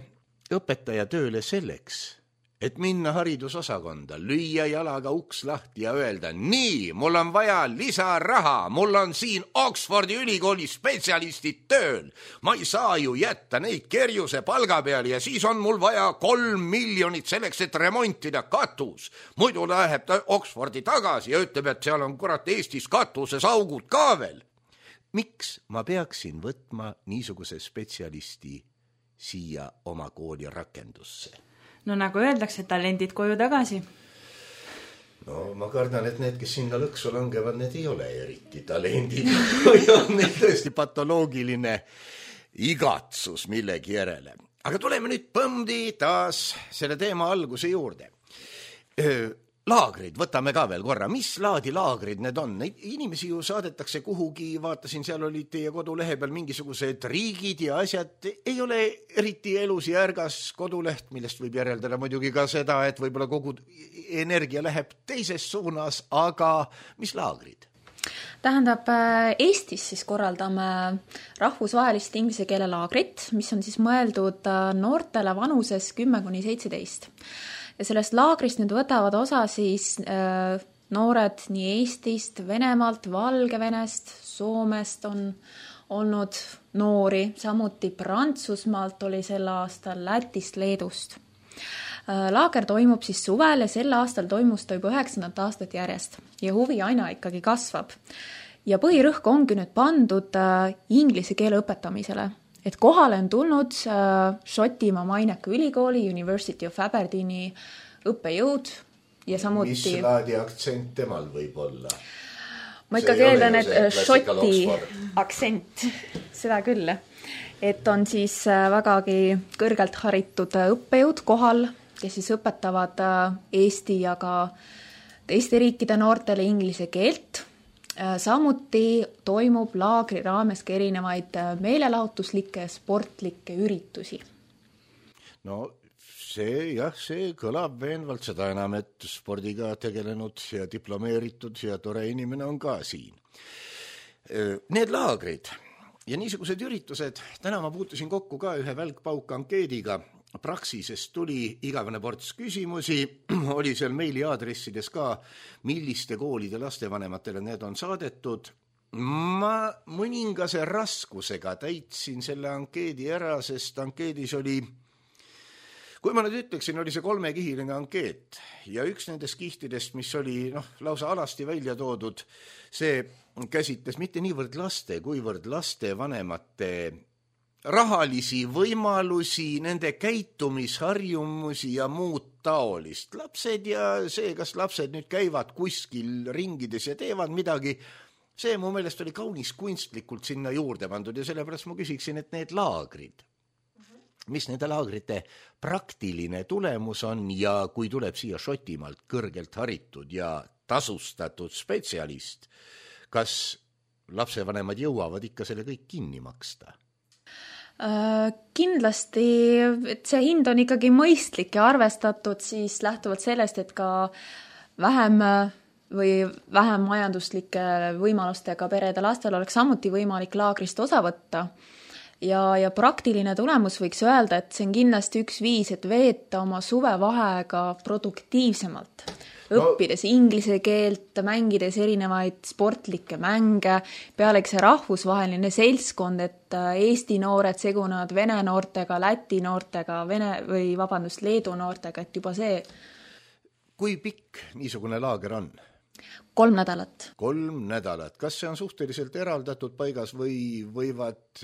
õpetaja tööle selleks, et minna haridusosakonda, lüüa jalaga uks lahti ja öelda, nii, mul on vaja lisaraha, mul on siin Oxfordi ülikooli spetsialistid tööl. Ma ei saa ju jätta neid kerjuse palga peal ja siis on mul vaja 3 miljonit selleks, et remontida katus. Muidu läheb ta Oxfordi tagasi ja ütleb, et seal on kurat Eestis katuses augud ka veel. Miks ma peaksin võtma niisuguse spetsialisti siia oma kooli rakendusse? No nagu öeldakse, talendid koju tagasi. No ma kardan, et need, kes sinna lõksu langevad, need ei ole eriti talendid. Või on neil tõesti patoloogiline igatsus millegi järele. Aga tuleme nüüd põmdi taas selle teema alguse juurde. laagrid, võtame ka veel korra, mis laadi laagrid need on? Neid inimesi ju saadetakse kuhugi, vaatasin, seal olid teie kodulehe peal mingisugused riigid ja asjad, ei ole eriti elus ja ärgas koduleht, millest võib järeldada muidugi ka seda, et võib-olla kogu energia läheb teises suunas, aga mis laagrid? Tähendab, Eestis siis korraldame rahvusvahelist inglise keele laagrit, mis on siis mõeldud noortele vanuses 10–17. Ja sellest laagrist nüüd võtavad osa siis noored nii Eestist, Venemaalt, Valgevenest, Soomest on olnud noori, samuti Prantsusmaalt oli sel aastal, Lätist, Leedust. Laager toimub siis suvel ja sel aastal toimus ta juba 9. aastat järjest ja huvi aina ikkagi kasvab. Ja põhirõhk ongi nüüd pandud inglise keele õpetamisele, et kohale on tulnud Šotimaa maineka ülikooli University of Aberdeeni õppejõud ja samuti... Mis laadi aktsent temal võib olla? Ma ikka keeldan, et Šoti aktsent, seda küll, et on siis vägagi kõrgelt haritud õppejõud kohal, kes siis õpetavad Eesti ja ka teiste riikide noortele inglise keelt. Samuti toimub laagri raames ka erinevaid meelelahutuslikke ja sportlikke üritusi. No see kõlab veenvalt, seda enam, et spordiga tegelenud ja diplomeeritud ja tore inimene on ka siin. Need laagrid ja niisugused üritused, täna ma puutusin kokku ka ühe välkpauk ankeediga, Praxisest tuli igavene ports küsimusi, oli seal meili aadressides ka, milliste koolide lastevanematele need on saadetud. Ma mõningase raskusega täitsin selle ankeedi ära, sest ankeedis oli, kui ma nüüd ütleksin, oli see 3-kihiline ankeet ja üks nendest kihtidest, mis oli lausa alasti välja toodud, see käsitles mitte niivõrd laste, kuivõrd laste vanemate rahalisi võimalusi, nende käitumisharjumusi ja muud taolist. Lapsed ja see, kas lapsed nüüd käivad kuskil ringides ja teevad midagi, see mu meelest oli kaunis kunstlikult sinna juurde pandud ja sellepärast ma küsiksin, et need laagrid, mis nende laagrite praktiline tulemus on ja kui tuleb siia Šotimaalt kõrgelt haritud ja tasustatud spetsialist, kas lapsevanemad jõuavad ikka selle kõik kinni maksta? Kindlasti, et see hind on ikkagi mõistlik ja arvestatud siis lähtuvalt sellest, et ka vähem majanduslike võimalustega perede lastel oleks samuti võimalik laagrist osa võtta. Ja praktiline tulemus võiks öelda, et see on kindlasti üks viis, et veeta oma suvevaheaega produktiivsemalt. Õppides inglise keelt, mängides erinevaid sportlikke mänge, pealegi see rahvusvaheline seltskond, et Eesti noored segunevad Vene noortega, Läti noortega, Leedu noortega, et juba see. Kui pikk niisugune laager on? 3 nädalat. 3 nädalat. Kas see on suhteliselt eraldatud paigas või võivad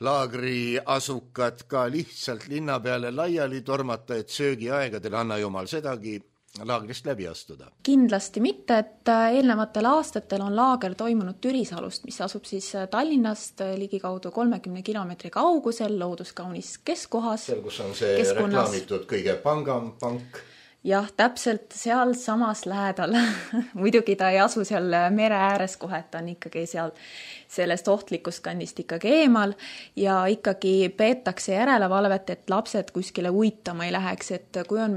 laagri asukad ka lihtsalt linna peale laiali tormata, et söögiaegadel anna jumal sedagi laagrist läbi astuda? Kindlasti mitte, et eelnevatel aastatel on laager toimunud Türisalust, mis asub siis Tallinnast ligikaudu 30 kilomeetri kaugusel looduskaunis keskkohas. Seal, kus on see reklaamitud kõige pangam pank. Jah, täpselt seal samas lähedal. Muidugi ta ei asu seal mere ääres kohe, et ta on ikkagi seal sellest ohtlikust kandist ikkagi eemal ja ikkagi peetakse järelevalvet, et lapsed kuskile uitama ei läheks, et kui on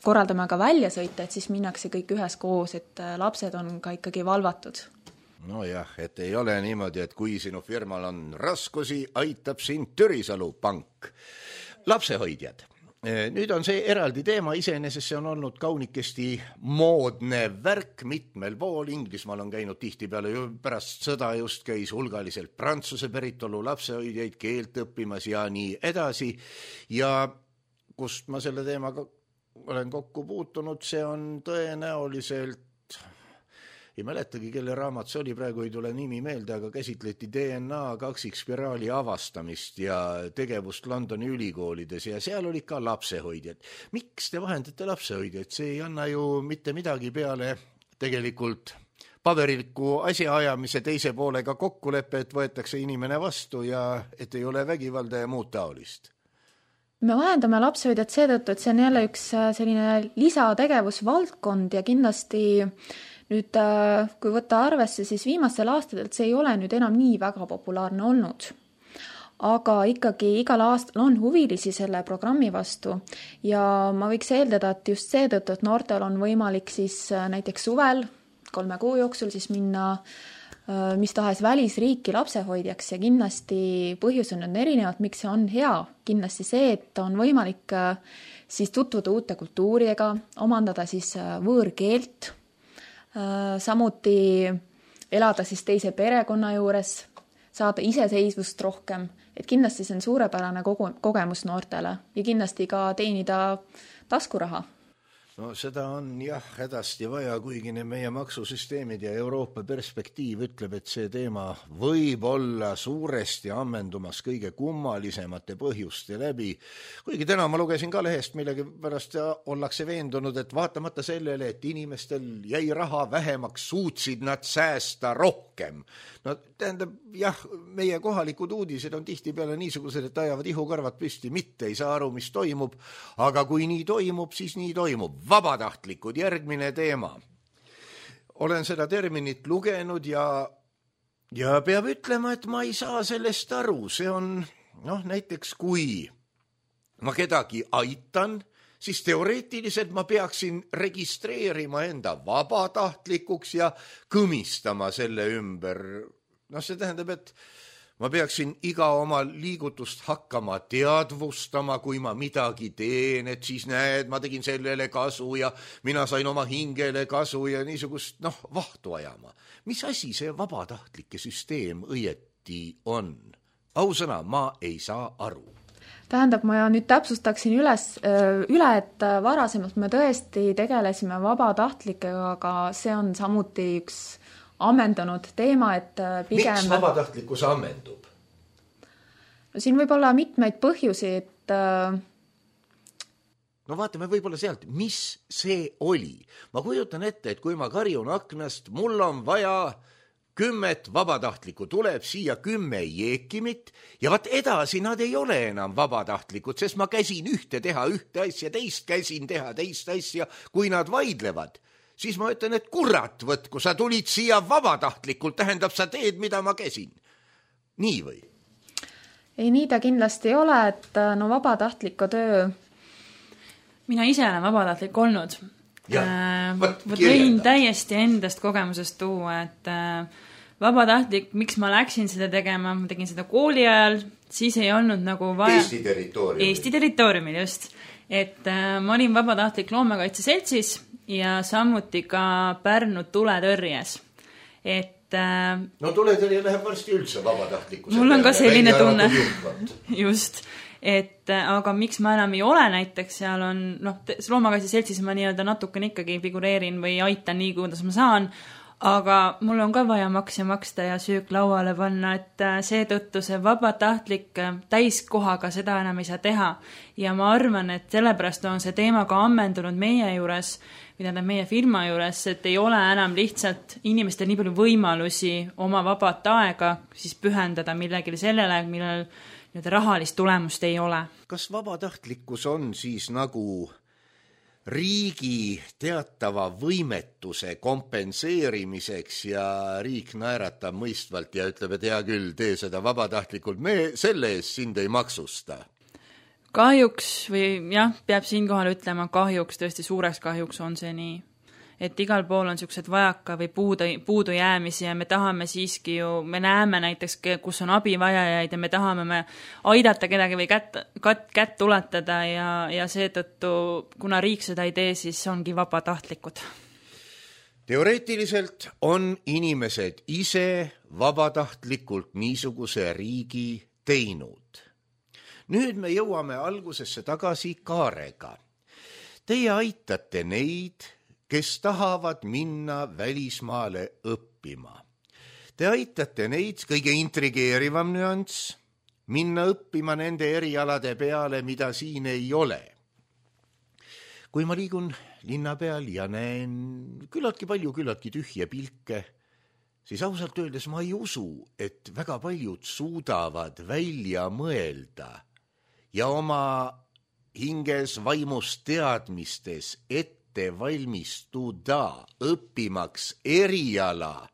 korraldame ka väljasõite, et siis minnakse kõik üheskoos, et lapsed on ka ikkagi valvatud. No jah, et ei ole niimoodi, et kui sinu firmal on raskusi, aitab sind Türisalu pank. Lapsehoidjad. Nüüd on see eraldi teema, iseenesest see on olnud kaunikesti moodne värk mitmel pool. Inglismaal on käinud tihtipeale pärast sõda just käis hulgaliselt Prantsuse päritolu lapsehoidjaid keelt õppimas ja nii edasi. Ja kust ma selle teemaga olen kokku puutunud, see on tõenäoliselt, ei mäletagi, kelle raamat see oli, praegu ei tule nimi meelde, aga käsitleti DNA kaksikspiraali avastamist ja tegevust Londoni ülikoolides ja seal olid ka lapsehoidjad. Miks te vahendate lapsehoidjad? See ei anna ju mitte midagi peale tegelikult paberiliku asjaajamise teise poolega kokkuleppe, et võetakse inimene vastu ja et ei ole vägivalda ja muud taolist. me vahendame lapsehoidjat seetõttu, et see on jälle üks selline lisategevusvaldkond ja kindlasti nüüd, kui võtta arvesse, siis viimastel aastatel see ei ole nüüd enam nii väga populaarne olnud. Aga ikkagi igal aastal on huvilisi selle programmi vastu ja ma võiks eeldada, et just seetõttu, et noortel on võimalik siis näiteks suvel 3 kuu jooksul siis minna mis tahes välisriiki lapsehoidjaks ja kindlasti põhjus on erinevad, miks see on hea. Kindlasti see, et on võimalik siis tutvuda uute kultuuridega, omandada siis võõrkeelt, samuti elada siis teise perekonna juures, saada iseseisvust rohkem, et kindlasti see on suurepärane kogemus noortele ja kindlasti ka teenida taskuraha. No seda on jah hädasti vaja, kuigi meie maksusüsteemid ja Euroopa perspektiiv ütleb, et see teema võib olla suuresti ammendumas kõige kummalisemate põhjuste läbi. Kuigi täna ma lugesin ka lehest, millegi pärast ollakse veendunud, et vaatamata sellele, et inimestel jäi raha vähemaks, suutsid nad säästa rohkem. No tähendab, jah, meie kohalikud uudised on tihtipeale niisugused, et ajavad ihukarvad püsti, mitte ei saa aru, mis toimub, aga kui nii toimub, siis nii toimub. Vabatahtlikud, järgmine teema. Olen seda terminit lugenud ja peab ütlema, et ma ei saa sellest aru. See on, näiteks kui ma kedagi aitan, siis teoreetiliselt ma peaksin registreerima enda vabatahtlikuks ja kõmistama selle ümber. See tähendab, et ma peaksin iga oma liigutust hakkama teadvustama, kui ma midagi teen, et siis näed, ma tegin sellele kasu ja mina sain oma hingele kasu ja niisugust, vahtu ajama. Mis asi see vabatahtlike süsteem õieti on? Ausõna, ma ei saa aru. Tähendab, ma nüüd täpsustaksin üle, et varasemalt me tõesti tegelesime vabatahtlikega, aga see on samuti üks ammendunud teema, et pigem... Miks vabatahtlikkus ammendub? No siin võib olla mitmeid põhjusi, et... vaatame võib-olla sealt, mis see oli. Ma kujutan ette, et kui ma karjun aknast, mul on vaja 10 vabatahtlikku, tuleb siia 10 jeekimit ja edasi nad ei ole enam vabatahtlikud, sest ma käsin ühte teha ühte asja, teist käsin teha teist asja, kui nad vaidlevad. Siis ma ütlen, et kurat võt, kui sa tulid siia vabatahtlikult, tähendab, sa teed, mida ma käsin. Nii või? Ei, nii ta kindlasti ei ole, et vabatahtliku töö... Mina ise olen vabatahtlik olnud. Võin täiesti endast kogemusest tuua, et vabatahtlik, miks ma läksin seda tegema, ma tegin seda kooli ajal, siis ei olnud nagu vaja... Eesti territooriumil, just. Et ma olin vabatahtlik Loomakaitseseltsis ja samuti ka Pärnu tuletõrjes. Et... tuletõrje läheb varsti üldse vabatahtlikkuse. Mul on ka selline tunne. Just. Et aga miks ma enam ei ole näiteks, seal on, Loomakaitseseltsis ma nii-öelda natukene ikkagi figureerin või aitan nii, kuidas ma saan, aga mul on ka vaja makse maksta ja söök lauale panna, et seetõttu see vabatahtlik täiskohaga seda enam ei saa teha. Ja ma arvan, et sellepärast on see teema ka ammendunud meie juures, meie firma juures, et ei ole enam lihtsalt inimestel nii palju võimalusi oma vabat aega siis pühendada millegile sellele, millel rahalist tulemust ei ole. Kas vabatahtlikkus on siis nagu riigi teatava võimetuse kompenseerimiseks ja riik naeratab mõistvalt ja ütleb, et hea küll, tee seda vabatahtlikult, me selle eest sind ei maksusta? Kahjuks või jah, peab siinkohal ütlema kahjuks, tõesti suureks kahjuks on see nii. Et igal pool on sellised vajaka või puudu jäämisi ja me tahame siiski ju, me näeme näiteks, kus on abivajajaid ja me tahame aidata kedagi või kätt ulatada ja seetõttu, kuna riik seda ei tee, siis ongi vabatahtlikud. Teoreetiliselt on inimesed ise vabatahtlikult niisuguse riigi teinud. Nüüd me jõuame algusesse tagasi Kaarega. Teie aitate neid, kes tahavad minna välismaale õppima. Te aitate neid, kõige intrigeerivam nüanss, minna õppima nende erialade peale, mida siin ei ole. Kui ma liigun linna peal ja näen küllaltki tühje pilke, siis ausalt öeldes ma ei usu, et väga paljud suudavad välja mõelda ja oma hinges, vaimus, teadmistes ette valmistuda õppimaks eriala,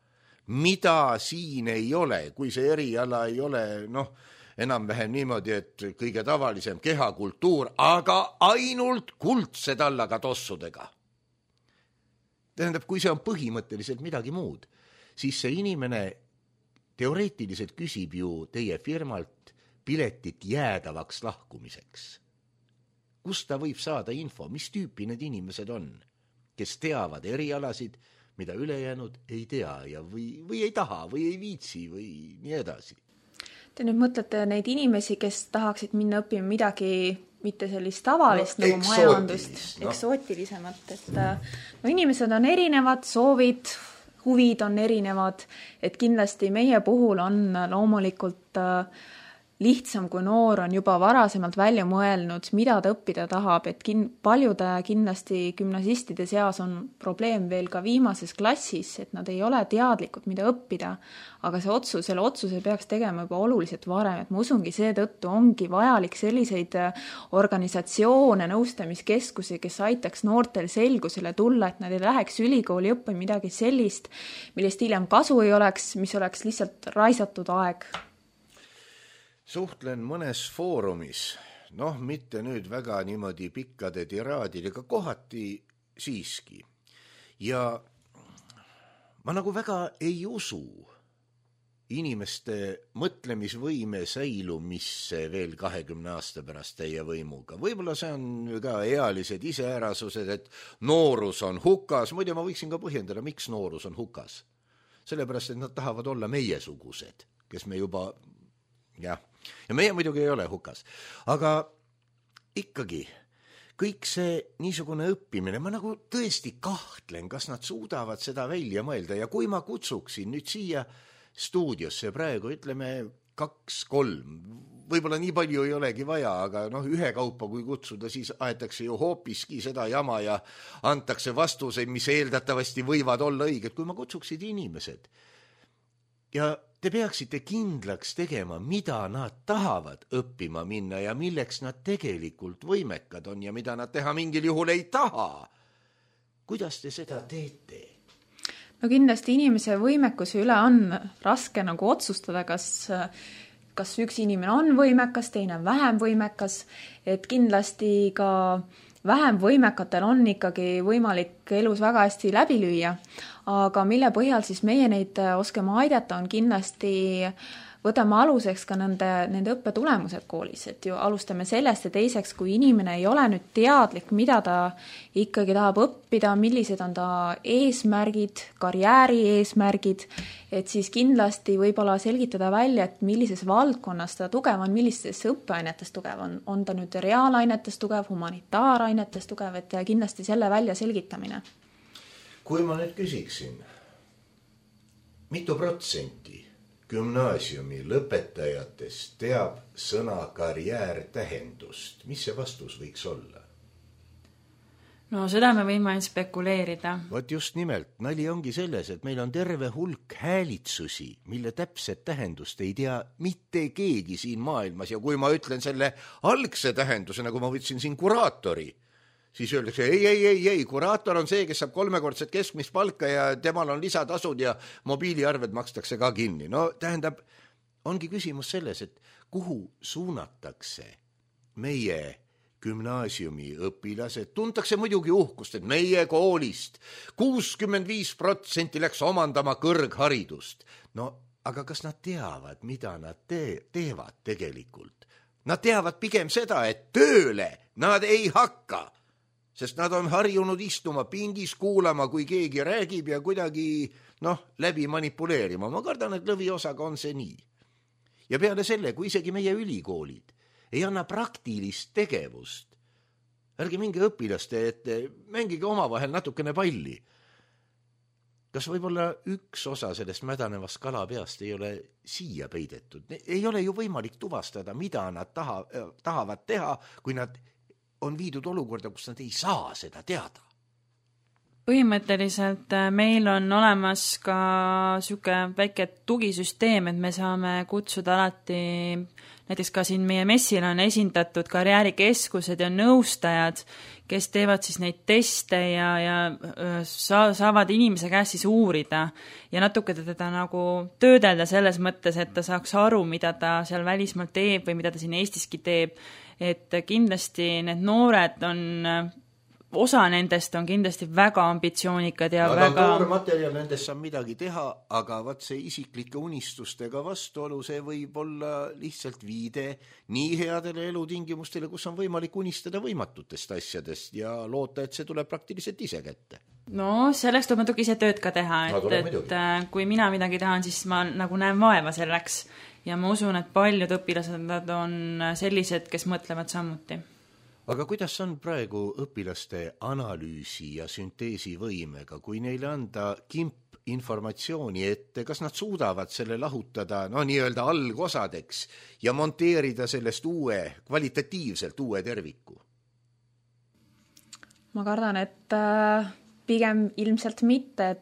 mida siin ei ole, kui see eriala ei ole, enam-vähem niimoodi, et kõige tavalisem kehakultuur, aga ainult kuldsed allaga tossudega. Tähendab, kui see on põhimõtteliselt midagi muud, siis see inimene teoreetiliselt küsib ju teie firmalt piletit jäädavaks lahkumiseks. Kust ta võib saada info, mis tüüpi need inimesed on, kes teavad erialasid, mida ülejäänud ei tea ja või ei taha või ei viitsi või nii edasi. Te nüüd mõtlete neid inimesi, kes tahaksid minna õppima midagi, mitte sellist tavalist nagu majandust, eksootilisemat, et inimesed on erinevad, soovid, huvid on erinevad, et kindlasti meie puhul on loomulikult lihtsam, kui noor on juba varasemalt välja mõelnud, mida ta õppida tahab, et paljude kindlasti gümnasistide seas on probleem veel ka viimases klassis, et nad ei ole teadlikud, mida õppida, aga selle otsuse peaks tegema juba oluliselt varem, et ma usungi, seetõttu ongi vajalik selliseid organisatsioone, nõustamiskeskusi, kes aitaks noortel selgusele tulla, et nad ei läheks ülikooli õppima midagi sellist, millest hiljem kasu ei oleks, mis oleks lihtsalt raisatud aeg. Suhtlen mõnes foorumis, mitte nüüd väga niimoodi pikkade tiraadidega, kohati siiski. Ja ma nagu väga ei usu inimeste mõtlemisvõime säilumisse veel 20 aasta pärast teie võimuga. Võib-olla see on ka ealised iseärasused, et noorus on hukas. Muidu ma võiksin ka põhjendada, miks noorus on hukas. Sellepärast, et nad tahavad olla meiesugused, kes me juba... Ja meie muidugi ei ole hukas. Aga ikkagi, kõik see niisugune õppimine, ma nagu tõesti kahtlen, kas nad suudavad seda välja mõelda. Ja kui ma kutsuksin nüüd siia stuudiosse praegu, ütleme 2-3, võib-olla nii palju ei olegi vaja, aga ühe kaupa kui kutsuda, siis aetakse ju hoopiski seda jama ja antakse vastuseid, mis eeldatavasti võivad olla õiged. Kui ma kutsuksid inimesed ja te peaksite kindlaks tegema, mida nad tahavad õppima minna ja milleks nad tegelikult võimekad on ja mida nad teha mingil juhul ei taha. Kuidas te seda teete? No kindlasti inimese võimekuse üle on raske nagu otsustada, kas üks inimene on võimekas, teine on vähem võimekas, et kindlasti ka vähem võimekatel on ikkagi võimalik elus väga hästi läbi lüüa, aga mille põhjal siis meie neid oskame aidata on kindlasti võtame aluseks ka nende õppetulemused koolis, et ju alustame sellest ja teiseks, kui inimene ei ole nüüd teadlik, mida ta ikkagi tahab õppida, millised on ta eesmärgid, karjääri eesmärgid, et siis kindlasti võib-olla selgitada välja, et millises valdkonnas ta tugev on, millistes õppeainetes tugev on ta nüüd reaalainetes tugev, humanitaarainetes tugev, et kindlasti selle välja selgitamine. Kui ma nüüd küsiksin, mitu protsenti gümnaasiumi lõpetajatest teab sõna karjäär tähendust? Mis see vastus võiks olla? No seda me võime spekuleerida. Vot just nimelt, nali ongi selles, et meil on terve hulk häälitsusi, mille täpset tähendust ei tea mitte keegi siin maailmas. Ja kui ma ütlen selle algse tähenduse, nagu ma võtsin siin kuraatori, siis öeldakse, ei, kuraator on see, kes saab 3-kordset keskmist palka ja temal on lisatasud ja mobiiliarved makstakse ka kinni. No tähendab, ongi küsimus selles, et kuhu suunatakse meie gümnaasiumi õpilased. Tuntakse muidugi uhkust, et meie koolist 65% läks omandama kõrgharidust. No, aga kas nad teavad, mida nad teevad tegelikult? Nad teavad pigem seda, et tööle nad ei hakka. Sest nad on harjunud istuma pingis, kuulama, kui keegi räägib ja kuidagi läbi manipuleerima. Ma kardan, et lõviosaga on see nii. Ja peale selle, kui isegi meie ülikoolid ei anna praktilist tegevust, ärge minge õpilaste ette, mängige omavahel natukene palli. Kas võib-olla üks osa sellest mädanevast kalapeast ei ole siia peidetud? Ei ole ju võimalik tuvastada, mida nad tahavad teha, kui nad on viidud olukorda, kus nad ei saa seda teada. Põhimõtteliselt meil on olemas ka siuke väike tugisüsteem, et me saame kutsuda alati, näiteks ka siin meie messil on esindatud karjäärikeskused ja nõustajad, kes teevad siis neid teste ja saavad inimese käest siis uurida ja natuke teda nagu töödelda selles mõttes, et ta saaks aru, mida ta seal välismaal teeb või mida ta siin Eestiski teeb. Et kindlasti need noored osa nendest on kindlasti väga ambitsioonikad ja väga... Noormaterjal nendest saab midagi teha, aga vaat see isiklike unistustega vastuolu, see võib olla lihtsalt viide nii headele elutingimustele, kus on võimalik unistada võimatutest asjadest ja loota, et see tuleb praktiliselt ise kätte. No selleks tuleb natuke ise tööd ka teha, et kui mina midagi tahan, siis ma nagu näen vaeva selleks ja ma usun, et paljud õpilased on sellised, kes mõtlevad samuti. Aga kuidas on praegu õpilaste analüüsi ja sünteesi võimega, kui neile anda kimp informatsiooni ette, kas nad suudavad selle lahutada nii-öelda algosadeks ja monteerida sellest kvalitatiivselt uue terviku? Ma kardan, et pigem ilmselt mitte,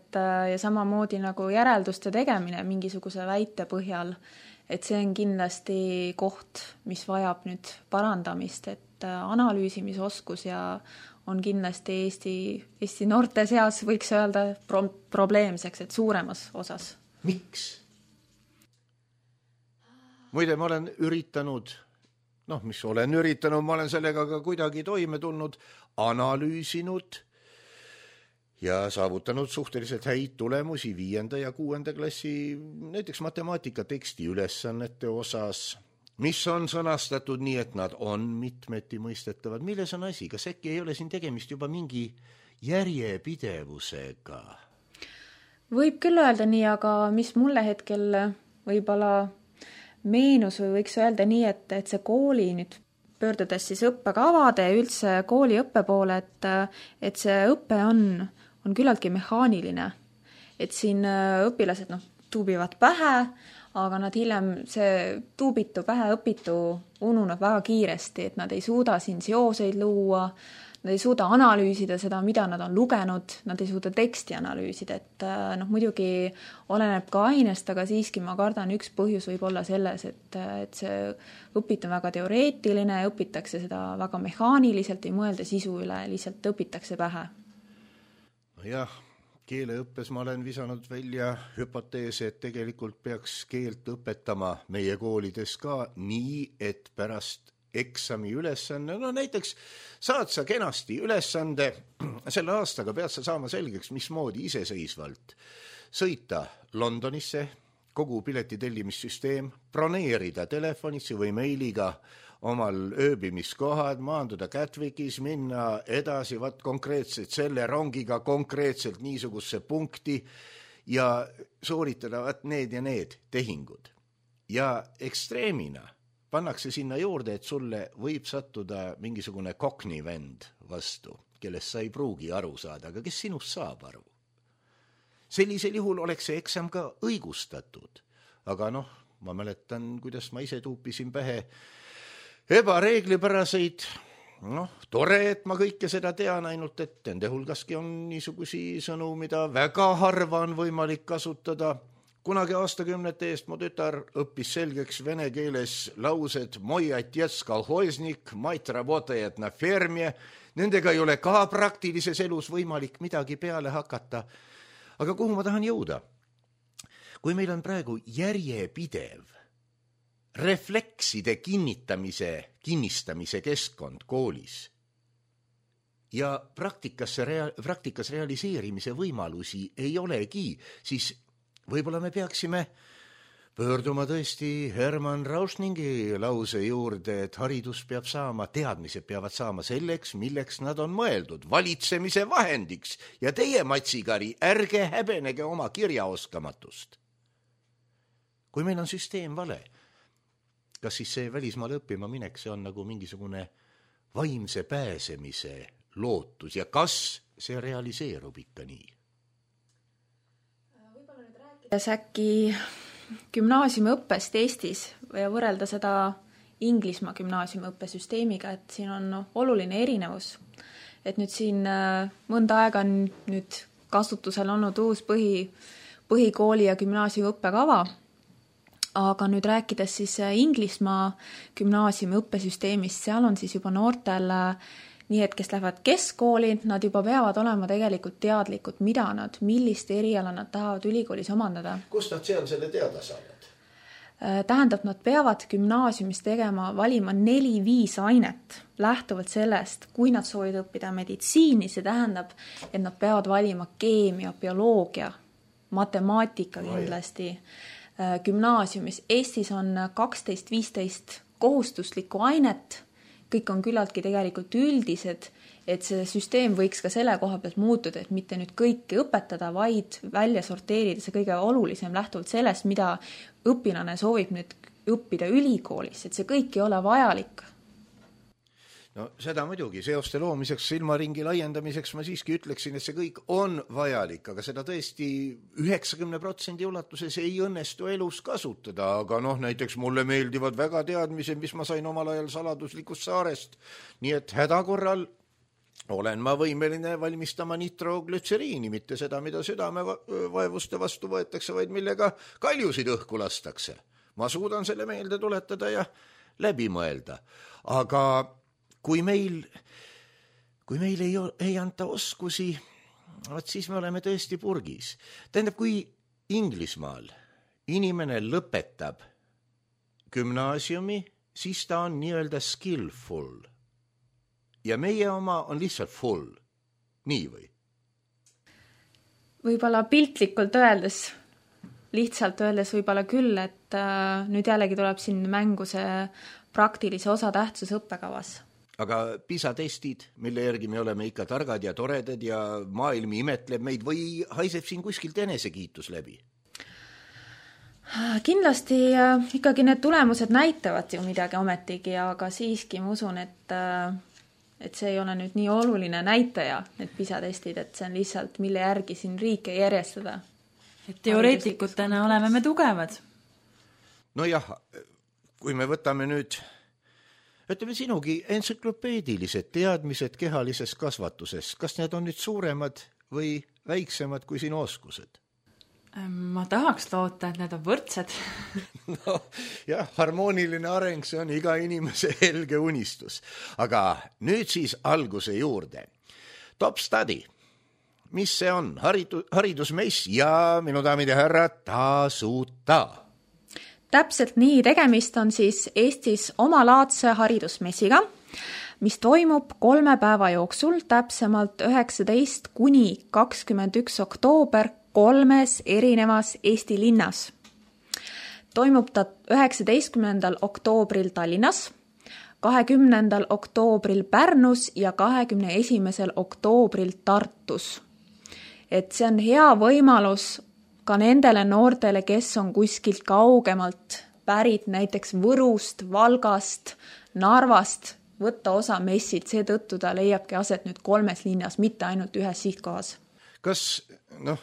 ja samamoodi nagu järelduste tegemine mingisuguse väite põhjal, et see on kindlasti koht, mis vajab nüüd parandamist, et analüüsimisoskus ja on kindlasti Eesti noorte seas võiks öelda probleemseks, et suuremas osas. Miks? Muide, ma olen üritanud, ma olen sellega ka kuidagi toime tulnud, analüüsinud ja saavutanud suhteliselt häid tulemusi 5. ja 6. klassi, näiteks matemaatika teksti ülesannete osas, mis on sõnastatud nii, et nad on mitmeti mõistetavad. Milles on asi? Kas äkki ei ole siin tegemist juba mingi järjepidevusega? Võib küll öelda nii, aga mis mulle hetkel võib-olla meenus või võiks öelda nii, et see kooli nüüd pöördudes siis õppekavade ja üldse kooli õppe poole, et see õpe on küllaltki mehaaniline. Et siin õpilased tuubivad pähe, aga nad hiljem see tuubitu pähe õpitu ununeb väga kiiresti, et nad ei suuda siin seoseid luua, nad ei suuda analüüsida seda, mida nad on lugenud, nad ei suuda teksti analüüsida, et muidugi oleneb ka ainest, aga siiski ma kardan, üks põhjus võib olla selles, et see õpit on väga teoreetiline, õpitakse seda väga mehaaniliselt, ei mõelda sisu üle, lihtsalt õpitakse pähe. Jah, keeleõppes ma olen visanud välja hüpoteese, et tegelikult peaks keelt õpetama meie koolides ka nii, et pärast eksami ülesanne, näiteks saad sa kenasti ülesande, selle aastaga pead sa saama selgeks, mismoodi iseseisvalt sõita Londonisse, kogu piletitellimissüsteem, broneerida telefonisse või meiliga omal ööbimiskohad, maanduda Gatwickis, minna edasi konkreetselt selle rongiga konkreetselt niisugusse punkti ja sooritada need ja need tehingud. Ja ekstreemina pannakse sinna juurde, et sulle võib sattuda mingisugune koknivend vastu, kellest sa ei pruugi aru saada, aga kes sinust saab aru? Sellisel juhul oleks see eksam ka õigustatud. Aga ma mäletan, kuidas ma ise tuupisin pähe ebareeglipäraseid, tore, et ma kõike seda tean, ainult et nende hulgaski on niisugusi sõnu, mida väga harva on võimalik kasutada. Kunagi aastakümnete eest mu tütar õppis selgeks vene keeles laused «Moi отец колхозник, мать работает на ферме». Nendega ei ole ka praktilises elus võimalik midagi peale hakata. Aga kuhu ma tahan jõuda? Kui meil on praegu järjepidev reflekside kinnistamise keskkond koolis ja praktikas realiseerimise võimalusi ei olegi, siis võib-olla me peaksime pöörduma tõesti Hermann Rauschningi lause juurde, et haridus peab saama, teadmised peavad saama selleks, milleks nad on mõeldud, valitsemise vahendiks ja teie, Matsikari, ärge häbenege oma kirjaoskamatust. Kui meil on süsteem vale, kas siis see välismaale õppima minek, see on nagu mingisugune vaimse pääsemise lootus ja kas see realiseerub ikka nii? Võib-olla nüüd rääkides äkki gümnaasiumiõppest Eestis ja võrrelda seda Inglismaa gümnaasiumiõppesüsteemiga, et siin on oluline erinevus. et nüüd siin mõnda aega on nüüd kasutusel olnud uus põhikooli ja gümnaasiumi õppekava, aga nüüd rääkides siis Inglismaa gümnaasiumi õppesüsteemist, seal on siis juba noortel nii, et kes lähevad keskkooli, nad juba peavad olema tegelikult teadlikud, millist eriala nad tahavad ülikoolis omandada. Kust nad seal selle teada saavad? Tähendab, nad peavad gümnaasiumis valima 4-5 ainet lähtuvalt sellest, kui nad soovivad õppida meditsiini, see tähendab, et nad peavad valima keemia, bioloogia, matemaatika kindlasti gümnaasiumis. Eestis on 12-15 kohustuslikku ainet, kõik on küllaltki tegelikult üldised, et see süsteem võiks ka selle koha pealt muutuda, et mitte nüüd kõike õpetada, vaid välja sorteerida see kõige olulisem lähtuvalt sellest, mida õpilane soovib nüüd õppida ülikoolis, et see kõik ei ole vajalik. No seda muidugi, seoste loomiseks, silmaringi laiendamiseks ma siiski ütleksin, et see kõik on vajalik, aga seda tõesti 90% ulatuses ei õnnestu elus kasutada, aga näiteks mulle meeldivad väga teadmised, mis ma sain omal ajal saladuslikust saarest, nii et hädakorral olen ma võimeline valmistama nitroglütseriini, mitte seda, mida südamevaevuste vastu võetakse, vaid millega kaljusid õhku lastakse. Ma suudan selle meelde tuletada ja läbi mõelda, aga kui meil ei anta oskusi, siis me oleme tõesti purgis. Tähendab, kui Inglismaal inimene lõpetab gümnaasiumi, siis ta on nii-öelda skillful. Ja meie oma on lihtsalt full. Nii või? Võib-olla piltlikult öeldes, lihtsalt öeldes võib-olla küll, et nüüd jällegi tuleb siin mängu see praktilise osatähtsus õppekavas. Aga PISA-testid, mille järgi me oleme ikka targad ja toredad ja maailm imetleb meid või haiseb siin kuskilt enesekiitus läbi? Kindlasti ikkagi need tulemused näitavad ju midagi ometigi, aga siiski ma usun, et see ei ole nüüd nii oluline näitaja, need PISA-testid, et see on lihtsalt, mille järgi siin riike järjestada. Et teoreetikutena oleme me tugevad. No jah, kui me võtame nüüd ütleme sinugi entsüklopeedilised teadmised kehalises kasvatuses, kas need on nüüd suuremad või väiksemad kui sinu oskused? Ma tahaks loota, et need on võrdsed. No jah, harmooniline areng, see on iga inimese helge unistus. Aga nüüd siis alguse juurde. Top Study. Mis see on? Haridusmess ja minu daamid ja härrad, tasuta. Täpselt nii, tegemist on siis Eestis omalaadse haridusmessiga, mis toimub 3 päeva jooksul, täpsemalt 19 kuni 21 oktoober 3 erinevas Eesti linnas. Toimub ta 19. oktoobril Tallinnas, 20. oktoobril Pärnus ja 21. oktoobril Tartus. Et see on hea võimalus ka nendele noortele, kes on kuskilt kaugemalt pärit, näiteks Võrust, Valgast, Narvast, võtta osa messid, seetõttu ta leiabki aset nüüd 3 linnas, mitte ainult 1 sihtkohas. Kas,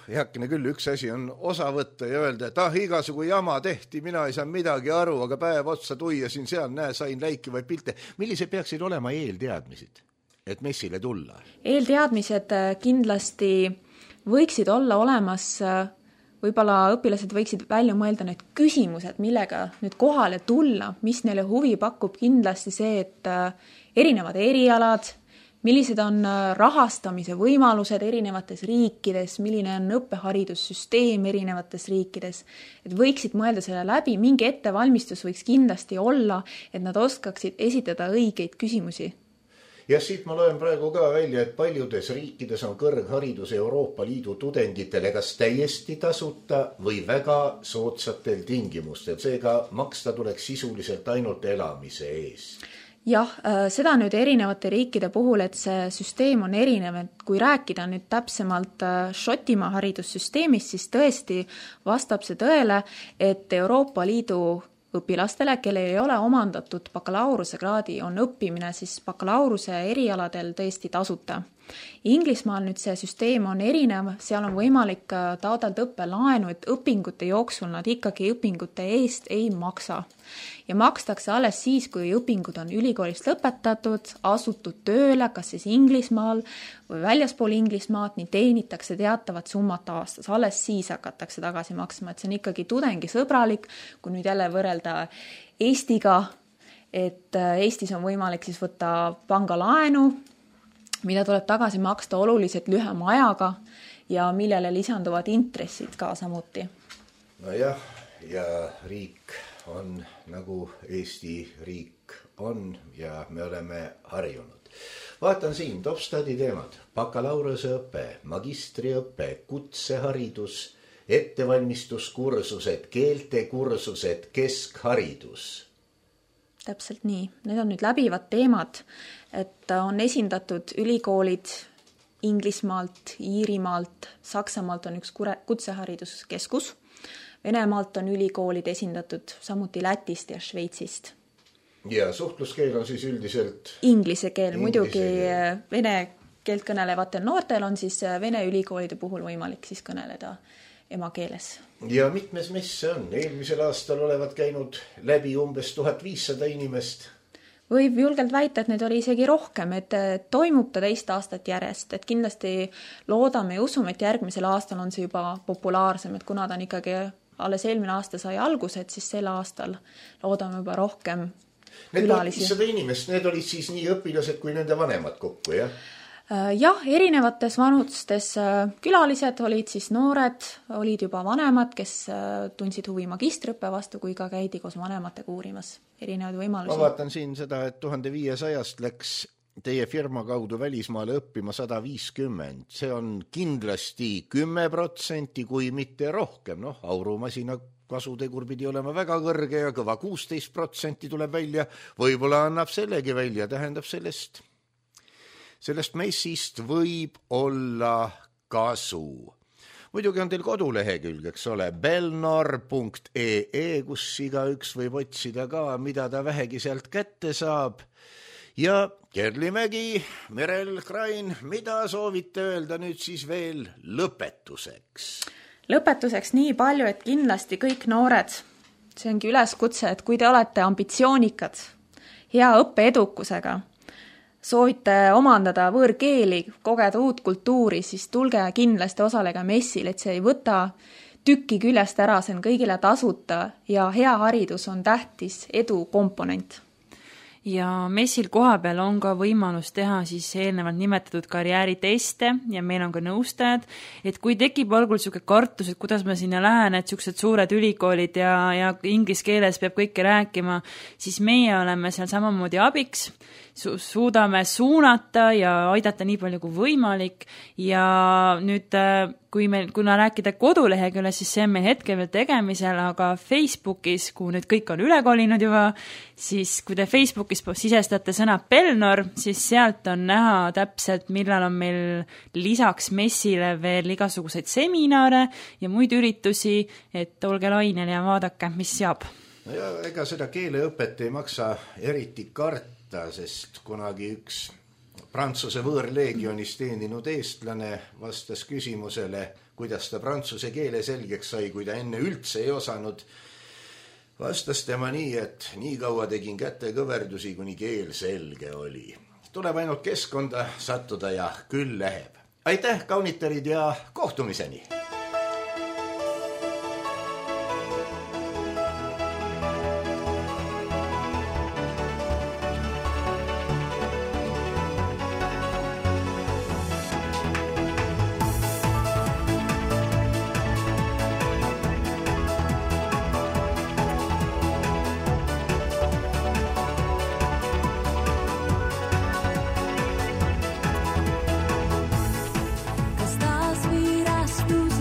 heakene küll, üks asi on osa võtta ja öelda, et igasugu jama tehti, mina ei saa midagi aru, aga päev otsa tuiasin seal, sain läikivaid pilte. Millised peaksid olema eelteadmised, et messile tulla? Eelteadmised kindlasti võiksid olla olemas. Võib-olla õpilased võiksid välja mõelda need küsimused, millega nüüd kohale tulla, mis neile huvi pakub, kindlasti see, et erinevad erialad, millised on rahastamise võimalused erinevates riikides, milline on õppeharidussüsteem erinevates riikides, et võiksid mõelda selle läbi, mingi ettevalmistus võiks kindlasti olla, et nad oskaksid esitada õigeid küsimusi. Ja siit ma loen praegu ka välja, et paljudes riikides on kõrgharidus Euroopa Liidu tudengitele kas täiesti tasuta või väga soodsatel tingimustel. Seega maksta tuleks sisuliselt ainult elamise ees. Jah, seda nüüd erinevate riikide puhul, et see süsteem on erinev, et kui rääkida nüüd täpsemalt Šotimaa haridussüsteemist, siis tõesti vastab see tõele, et Euroopa Liidu õpilastele, kelle ei ole omandatud bakalaureuse kraadi, on õppimine siis bakalaureuse erialadel tõesti tasuta. Inglismaal nüüd see süsteem on erinev, seal on võimalik taotleda õppelaenu, et õpingute jooksul nad ikkagi õpingute eest ei maksa. Ja makstakse alles siis, kui õpingud on ülikoolist lõpetatud, asutud tööle, kas siis Inglismaal või väljaspool Inglismaad, nii teenitakse teatavat summat aastas. Alles siis hakatakse tagasi maksma, et see on ikkagi tudengisõbralik, kui nüüd jälle võrrelda Eestiga, et Eestis on võimalik siis võtta pangalaenu, mida tuleb tagasi maksta oluliselt lühema ajaga ja millele lisanduvad intressid ka samuti. Nojah, ja riik on nagu Eesti riik on ja me oleme harjunud. Vaatan siin Topstadi teemad, bakalaureuseõpe, magistriõpe, kutseharidus, ettevalmistuskursused, keeltekursused, keskharidus. Täpselt nii. Need on nüüd läbivad teemad, et on esindatud ülikoolid Inglismaalt, Iirimaalt, Saksamaalt on üks kutsehariduskeskus, Venemaalt on ülikoolid esindatud samuti Lätist ja Šveitsist. Ja suhtluskeel on siis üldiselt? Inglise keel, muidugi vene keelt kõnelevatel noortel on siis vene ülikoolide puhul võimalik siis kõneleda emakeeles. Ja mitmes messe on? Eelmisel aastal olevat käinud läbi umbes 1500 inimest. Võib julgelt väita, et need oli isegi rohkem, et toimub ta 2 aastat järjest, et kindlasti loodame ja usume, et järgmisel aastal on see juba populaarsem, et kuna ta on ikkagi alles eelmine aasta sai alguse, et siis sel aastal loodame juba rohkem külalisi. Need 1500 inimest, need olid siis nii õpilased kui nende vanemad kokku, jah? Jah, erinevates vanustes külalised olid siis noored, olid juba vanemad, kes tundsid huvi magistriõppe vastu, kui ka käidi koos vanematega uurimas erinevaid võimalusi. Ma vaatan siin seda, et 1500 läks teie firma kaudu välismaale õppima 150. See on kindlasti 10%, kui mitte rohkem. Aurumasina kasutegur pidi olema väga kõrge ja kõva 16% tuleb välja. Võib-olla annab sellegi välja, tähendab sellest messist võib olla kasu. Muidugi on teil kodulehekülg, eks ole, belnor.ee, kus igaüks võib otsida ka, mida ta vähegi sealt kätte saab. Ja Kerli Mägi, Merel Krain, mida soovite öelda nüüd siis veel lõpetuseks? Lõpetuseks nii palju, et kindlasti kõik noored, see ongi üleskutse, et kui te olete ambitsioonikad, hea õppeedukusega, soovite omandada võõrkeeli, kogeda uut kultuuri, siis tulge kindlasti osalega messil, et see ei võta tükki küljest ära, see on kõigile tasuta ja hea haridus on tähtis edu komponent. Ja messil koha peal on ka võimalus teha siis eelnevalt nimetatud karjääriteste ja meil on ka nõustajad, et kui tekib algul selline kartus, et kuidas ma sinna lähen, et sellised suured ülikoolid ja inglise keeles peab kõike rääkima, siis meie oleme seal samamoodi abiks, suudame suunata ja aidata nii palju kui võimalik ja nüüd kuna rääkida koduleheküljel, siis see on meil hetkel veel tegemisel, aga Facebookis, kuhu nüüd kõik on üle kolinud juba, siis kui te Facebookis sisestate sõna Belnor, siis sealt on näha täpselt, millal on meil lisaks messile veel igasuguseid seminare ja muid üritusi, et olge lainel ja vaadake, mis saab. Ja ega seda keeleõpet ei maksa eriti karta, sest kunagi üks Prantsuse võõrleegionis teeninud eestlane vastas küsimusele, kuidas ta prantsuse keele selgeks sai, kui ta enne üldse ei osanud. Vastas tema nii, et nii kaua tegin käte kõverdusi, kuni keel selge oli. Tuleb ainult keskkonda sattuda ja küll läheb. Aitäh, kaunitarid, ja kohtumiseni! Kas taas virastus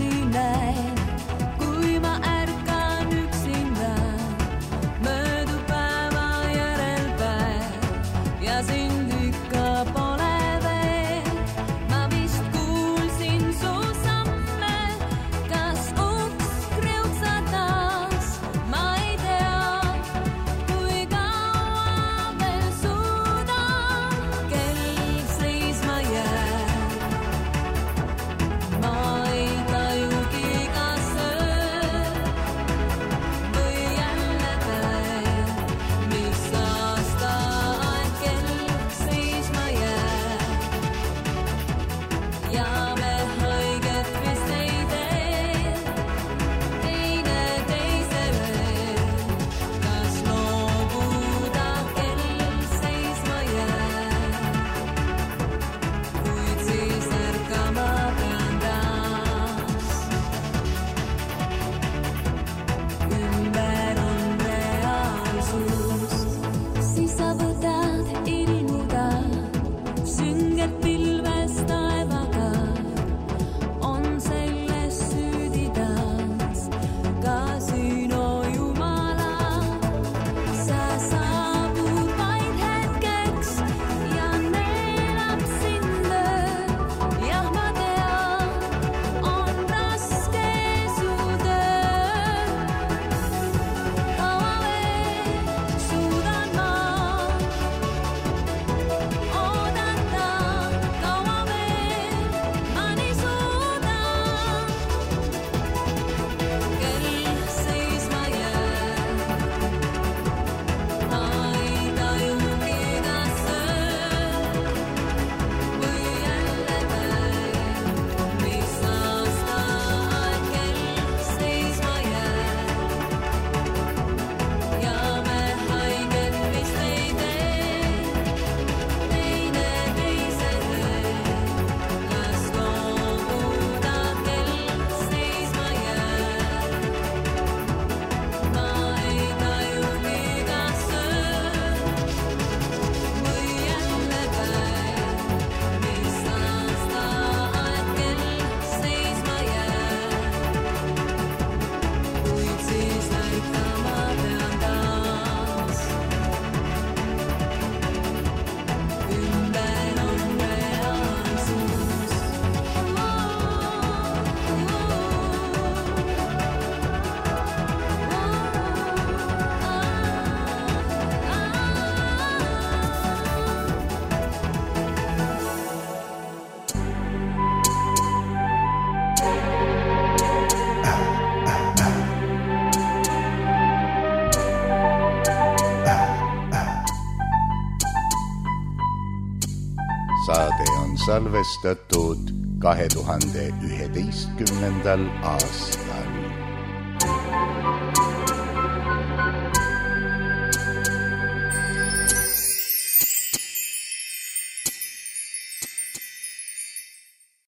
salvestatud 2011. aastal.